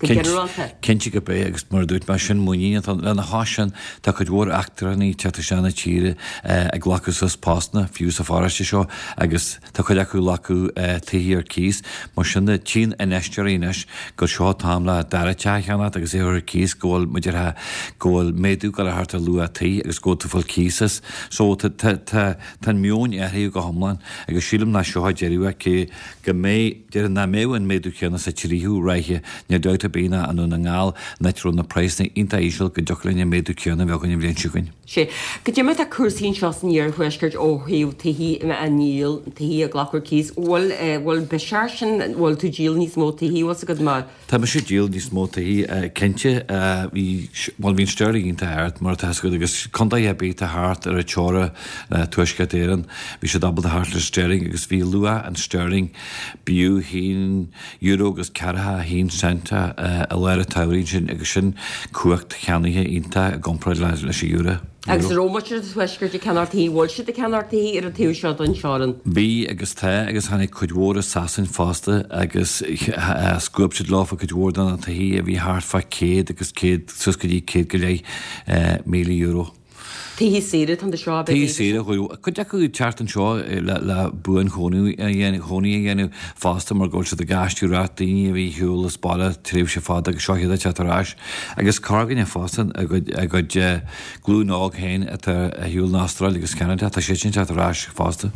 Speaker 1: Go ginearálta.
Speaker 6: Cinnte gurb é, agus mar a dúirt mé, sin muinín atá ann. Lena chois sin, tá cuid mhór eachtrannaigh ag teacht isteach na tíre ag glacadh suas postanna, fiú sa pharóiste seo, agus tá cuid acu ag glacadh tithe ar cíos. Mar sin de, tchíonn infheisteoirí anois gur seo an t-am le dara teach a cheannacht agus é a chur ar cíos, go bhfuil, mar a déarfá, go bhfuil méadú ag dul a theacht ar luach tí agus go bhfuil tú ag fáil cíos as. So, tá, tá, tá, tá an meon athraithe go hiomlán agus sílim nach seo an deireadh é, cé go mbeidh, déarfainn nach mbeadh an méadú céanna sa tríú ráithe, níl dabht ar bith ná i nDún na nGall, an áit a raibh na praghsanna iontach íseal, go dtiocfadh linn an méadú céanna a bheith againn an bhliain seo chugainn.
Speaker 1: Sea. Goidé mar atá cúrsaí anseo san iarthuaisceart ó thaobh tithe á ndíol, tithe a ghlacadh ar cíos. Bhfuil, bhfuil biseach air sin, bhfuil tú ag díol níos mó tithe, bhfuil 's agat mar.
Speaker 6: Tá mise ag díol níos mó tithe, cinnte. Bhí, bhuel bhí an sterling iontach ard, mar atá 'fhios agat, agus contaetha ar bith atá thart ar an teora le Tuaisceart Éireann, bhí siad ábalta theacht le sterling agus bhí luach an sterling, b'fhiú haon euro agus ceathracha a haon cent i lár an tsamhraidh ansin agus sin cumhacht cheannaithe iontach i gcomparáid leis an euro.
Speaker 1: Agus an raibh muintir an Tuaiscirt ag ceannacht tithe, bhfuil siad ag ceannacht tithe ar an taobh seo den teorainn?
Speaker 6: Bhí agus tá agus tháinig cuid mhór as Sasain fosta agus scuab siad leofa cuid mhór de na tithe a bhí thart fá céad agus céad suas go dtí céad go leith míle euro.
Speaker 1: Tithe saoire atá anseo, ab ea?
Speaker 6: Tithe saoire, cuid acu ag teacht anseo le buanchónaí a dhéanamh fosta mar go bhfuil siad ag aistriú ar ais, daoine a bhí ar shiúl as baile tréimhse fada agus seo iad ag teacht ar ais. Agus corrdhuine fosta, a gcuid glúin óg féin atá ar shiúl in Astráil agus Ceanada, tá siad sin ag teacht ar ais fosta.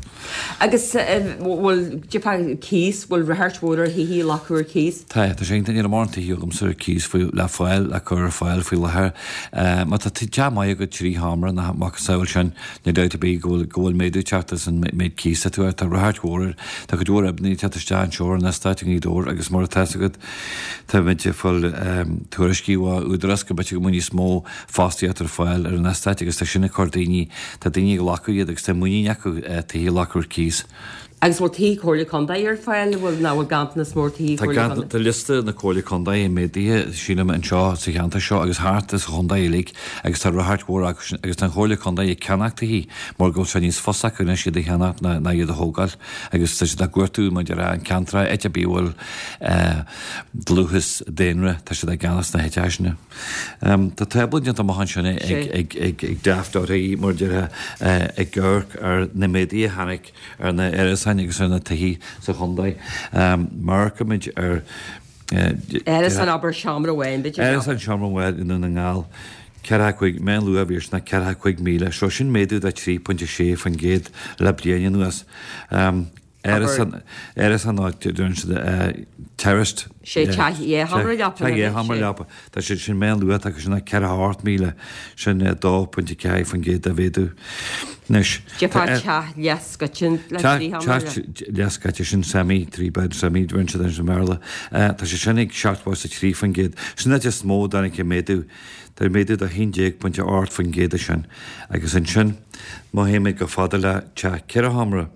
Speaker 1: Agus bhfuil, déarfá cíos, bhfuil ráchairt mhór ar thithe a ghlacadh ar cíos?
Speaker 6: Tá, tá sé iontach, níl mórán tithe agamsa ar cíos faoi, le fáil, le cur ar fáil faoi láthair. Má tá teach maith agat trí sheomra nó a mhacasamhail sin, níl dabht ar bith go bhfuil, go bhfuil méadú ag teacht as an méid cíos atá air. Tá ráchairt mhór air, tá cuid mhór oibrithe ag teacht isteach anseo ar an eastát i nGaoth Dobhair agus mar atá 'fhios agat, táimid ag fáil tuairiscí ó Údarás go mb'fhéidir go mbeidh níos mó fostaíocht ar fáil ar an eastát agus tá sin ag cur daoine, tá daoine ag glacadh iad agus tá muinín acu tithe a ghlacadh ar cíos.
Speaker 1: Agus bhfuil tithe Comhairle Contae ar fáil, bhfuil, nó bhfuil ganntanas mór tithe
Speaker 6: Tá
Speaker 1: Comhairle Contae?
Speaker 6: Tá liosta na Comhairle Contae méadaithe, sílim, anseo sa cheantar seo agus thart sa chontae uilig agus tá ráchairt mhór acu sin agus tá an Chomhairle Contae ag ceannach tithe mar go bhfuil sé níos fusa acu anois iad a cheannacht ná ná iad a thógáil agus tá siad á gcuartú maidir le an ceantar áit ar bith a bhfuil dlúthas daonra, tá siad á gceannach sna háiteacha sin. Tá tábla déanta amach ansin ag ag ag ag Daft.ie mar a déarfá ag amharc ar na méaduithe a tháinig ar na árasáin agus ar na tithe sa chontae. Má amharcaimid ar.
Speaker 1: Árasán abair seomra amháin b'fhéidir.
Speaker 6: Árasán seomra amháin i nDún na nGall, ceathracha cúig, meánluach a bhí air sin ná ceathracha cúig míle. So sin méadú de trí pointe sé faoin gcéad le bliain anuas. Árasán, árasán ná deireann siad terraced.
Speaker 1: Sé teach dhá sheomra leapa.
Speaker 6: Teach dhá sheomra leapa. Tá sé sin meánluach atá acu sin ná ceathracha ocht míle, sin dó pointe ceathair faoin gcéad de mhéadú. Anois.
Speaker 1: Déarfá teach leathscoite le trí sheomra.
Speaker 6: Teach leathscoite sin semi, three bed semi, deireann siad i mBéarla. Tá sé sin ag seachtó is a trí faoin gcéad. Sin an áit is mó a dtáinig an méadú. Tá méadú de haon déag pointe ocht faoin gcéad ansin. Agus ansin, má théimid chomh fada le teach ceithre sheomra,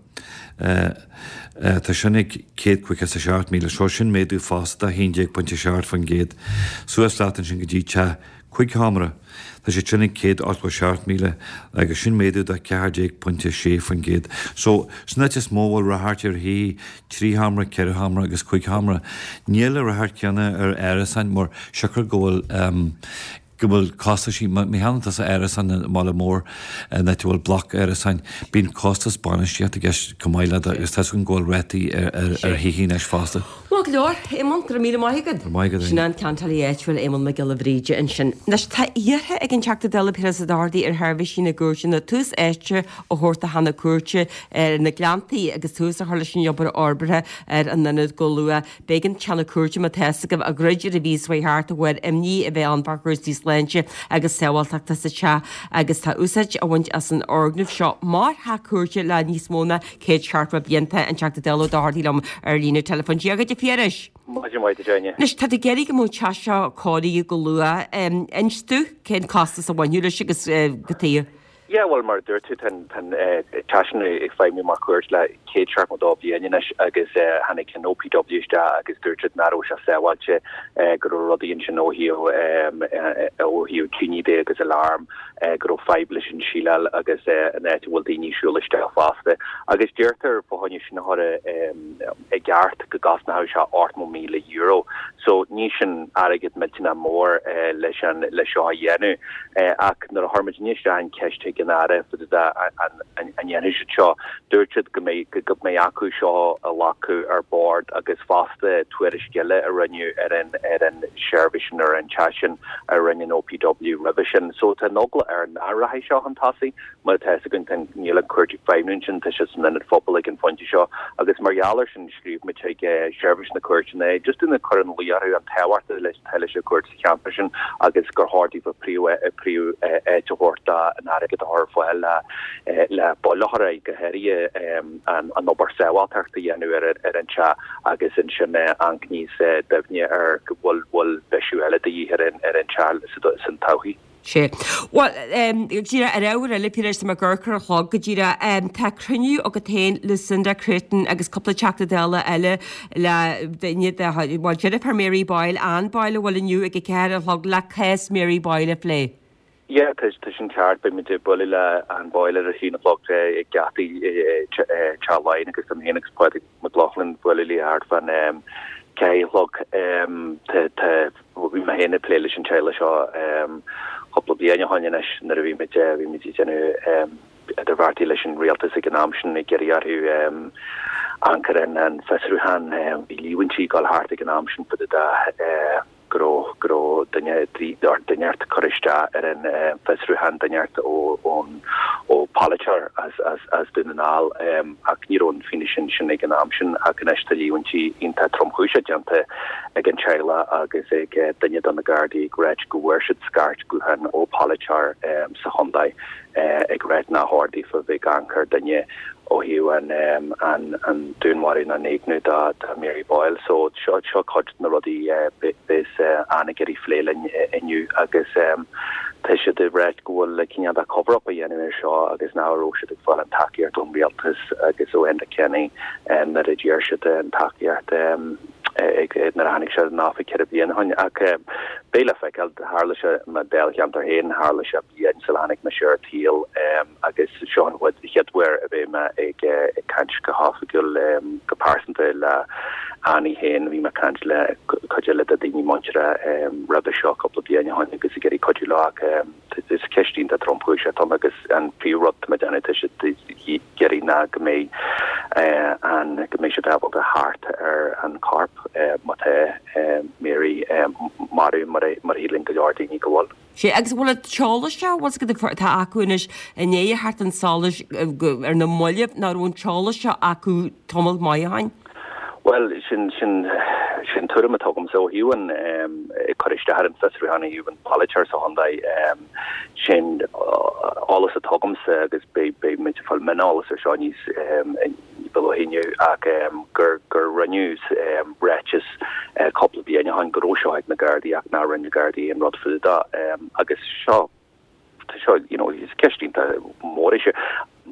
Speaker 6: Tá sin ag céad caoga is a seacht míle, so sin méadú fosta a haon déag pointe seacht faoin gcéad. Suas leat ansin go dtí teach cúig sheomra, tá sé sin ag céad ochtó seacht míle agus sin méadú de ceathair déag pointe sé faoin gcéad. So, sin áit is mó a bhfuil ráchairt ar thithe trí sheomra, ceithre sheomra agus cúig sheomra. Níl an ráchairt céanna ar árasáin mar siocair go bhfuil go bhfuil costaisí, má théann tusa árasán i mbaile mór in áit a bhfuil bloc árasáin, bíonn costas bainistíochta i gceist chomh maith le agus tá a fhios againn go bhfuil rátaí ar thithe anois fosta.
Speaker 1: Maith go leor, Éamonn, go raibh míle maith agat.
Speaker 6: Go raibh maith agat.
Speaker 1: Sin an ceantálaí áitiúil Éamonn Mac Giolla Bhríde ansin. Anois tá iarrtha ag an Teachta Dála Piaras Ó Dochartaigh ar sheirbhísí na gcúirteanna tús áite a thabhairt do theach na cúirte ar na Gleanntaí agus tús a chur leis an obair fhorbartha ar an ionad go luath. B'éigean teach na cúirte, má tá fhios agaibh, a dhruid ar an mhí seo thart de bharr imní a bheith ann fá chúrsaí sláinte agus sábháilteachta sa teach agus tá úsáid á bhaint as an fhoirgneamh seo mar theach cúirte le níos mó ná céad seachtó blianta. An Teachta Dála Ó Dochartaigh liom ar líne teileafóin. Dia dhuit a Phiarais.
Speaker 7: Maidin mhaith duit Áine.
Speaker 1: Anois tá tú ag iarraidh go mbeadh an teach seo cóirithe go luath. Inis domh cén costas a bhainfeadh leis agus cad chuige.
Speaker 7: Yeah, bhuel, mar a dúirt tú, tá an teach sin ag feidhmiú mar chúirt le céad seachtó dó bliain anois agus tháinig an OPW isteach agus dúirt siad nach raibh sé sábháilte, go raibh rudaí ansin ó thaobh ó thaobh tine de agus alarm, go raibh fadhb leis an síleáil agus an áit a bhfuil daoine ag siúl isteach fosta. Agus deirtear fá choinne sin a chur i gceart go gcosnódh sé ochtó míle euro. So ní sin airgead millteanach mór leis an leis seo a dhéanamh. Ach nuair a chuir muid isteach an cheist chuig an Aire fá dtaobh an ndéanfaidh siad seo, dúirt siad go mbeidh go mbeidh acu seo a ghlacadh ar bord agus fosta tuairisc eile a rinneadh ar an ar an seirbhís sin ar an teach sin a rinne an OPW roimhe sin. So tá an eagla air nach rachaidh seo chun tosaigh. Mar atá fhios againn tá níl an chúirt ag feidhmiú ansin, tá sé san ionad phobail ag an phointe seo agus mar gheall air sin scríobh muid chuig seirbhís na cúirteanna just ag cur ina luí orthu an tábhacht atá leis an gcúirt sa cheantar sin agus gur chóir daofa príomh áit a thabhairt dó an airgead a chur ar fáil le le buille a chur air, go háirithe an obair sábháilteachta a dhéanamh ar ar an teach agus ansin amharc níos doimhne ar go bhfuil bhfuil bisiú eile de dhíth ar an ar an teach san todhchaí.
Speaker 1: Sea. Bhuel, go díreach ar ábhar eile, Piaras, tá mé ag amharc ar an chlog go díreach. Tá cruinniú agat féin, Lucinda Creighton agus cúpla Teachta Dála eile le duine de, bhuel, deirfiúr Mary Boyle, Anne Boyle, a bhfuil inniu ag a ceathair a chlog le cás Mary Boyle a phlé.
Speaker 7: Yeah, tá sin ceart. Beidh muid ag bualadh le Anne Boyle ar a haon a chlog ag geataí Teach Laighean agus tá mé féin agus Pádraig Mac Lochlainn ag bualadh léi thart fán ceathair a chlog. Tá Bhí mé féin ag plé leis an teaghlach seo cúpla bliain ó shin anois nuair a bhí muid bhí muid ag déanamh idirbheartaí leis an rialtas ag an am sin ag iarraidh orthu amharc ar an fiosrúchán. Bhí líomhaintí ag dul thart ag an am sin fá dtaobh de go raibh go raibh duine duine inteacht ag cur isteach ar an bhfiosrúchán, duine inteacht ón ó pholaiteoir as as as Dún na nGall ach ní raibh an fianaise sin ag an am sin ach anois tá líomhaintí iontach tromchúiseach déanta ag an teaghlach agus ag duine de na Gardaí ag ráit go bhfuair siad scairt gutháin ó pholaiteoir sa chontae ag ráit nár chóir daofa bheith ag amharc ar duine ó thaobh an an dúnmharú nó an éigniú do Mary Boyle. So seo seo cuid de na rudaí a bheas Anne ag iarraidh phlé linn inniu agus tá siad ag ráit go bhfuil cineál de cover up á dhéanamh ar seo agus nach raibh siad ag fáil an tacaíocht ón rialtas agus ó Enda Kenny nuair a d'iarr siad an tacaíocht ag nuair a tháinig sé in oifig ceithre bliana ó shin. Ach beidh le feiceáil, tharla sé i mo dáilcheantar féin, tharla sé bliain sula tháinig mise ar an tsaol agus seo an chéad uair a bheidh mé ag caint go hoifigiúil, go pearsanta le Annie féin. Bhí mé ag caint le cuid eile de daoine muinteartha roimhe seo cúpla bliain ó shin agus ag iarraidh cuidiú leo ach is ceist iontach tromchúiseach atá ann agus an príomhrud atá mé ag déanamh tá siad ag iarraidh ná go mbeidh an go mbeidh siad ábalta theacht ar an chorp má tá Mary marbh mar a mar a shíleann go leor daoine go bhfuil.
Speaker 1: Sea, agus an bhfuil an t-eolas seo, bhfuil fhios agat atá acu anois i ndiaidh a theacht chun solais ar na mallaibh, nach raibh an t-eolas seo acu tamall maith ó shin?
Speaker 7: Bhuel, sin, sin, sin tuairim atá agamsa ó thaobh an, ag cur isteach ar an bhfiosrúchán ó thaobh an polaiteoir sa chontae, sin eolas atá agamsa agus beidh, beidh muid ag fáil mioneolas ar seo níos, ní ba luaithe inniu ach gur, gur rinneadh ráiteas cúpla bliain ó shin go raibh seo ag na Gardaí ach nár rinne na Gardaí aon rud fá dtaobh de agus seo, tá seo, you know, is ceist iontach mór é seo.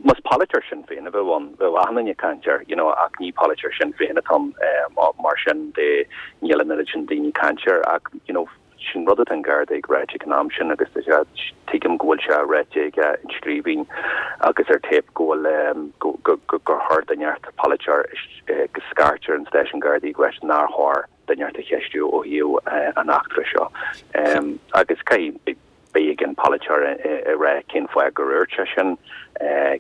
Speaker 7: Más polaiteoir Sinn Féin a bheadh ann, bheadh achan duine ag caint air, you know, ach ní polaiteoir Sinn Féin atá ann, mar sin de níl an oiread sin daoine ag caint air ach, you know, sin rud atá an Garda ag ráit ag an am sin agus tuigim go bhfuil sé ráite aige in scríbhinn agus ar téip go bhfuil gur chóir duine inteacht, polaiteoir, go scairt ar an stáisiún Gardaí ag ráit nár chóir duine inteacht a cheistiú ó thaobh an eachtra seo agus caithfidh beidh ag an polaiteoir a rá cén fáth gur dhúirt sé sin,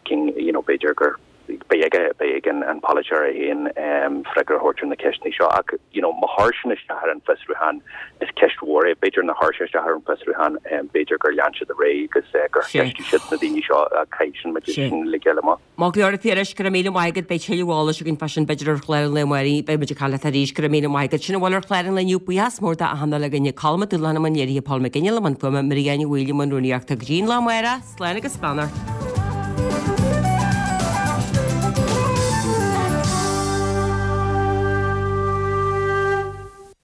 Speaker 7: cén, you know, b'fhéidir gur, beidh aige, beidh ag an polaiteoir é féin freagra a thabhairt ar na ceisteanna seo ach, you know, má chuir sin isteach ar an bhfiosrúchán, is ceist mhór é. B'fhéidir nár chuir sé isteach ar an bhfiosrúchán, b'fhéidir gur lean siad ar aghaidh agus gur cheistigh siad na daoine seo ach caithfidh sin muid sin a fháil amach.
Speaker 1: Maith go leor a Phiarais, go raibh míle maith agat, beidh tuilleadh eolais againn fá sin b'fhéidir ar chlár an lae amárach, beidh muid ag caint leat arís, go raibh míle maith agat. Sin a bhfuil ar chlár an lae inniu, buíochas mór d'achan duine againne, Colm Mac Dúbhlann i mbun léirithe, Paul McGinley i mbun fuaime, Maria Ní Bhaoill i mbun rúnaíochta. Go dtí an lá amárach, slán agus beannacht.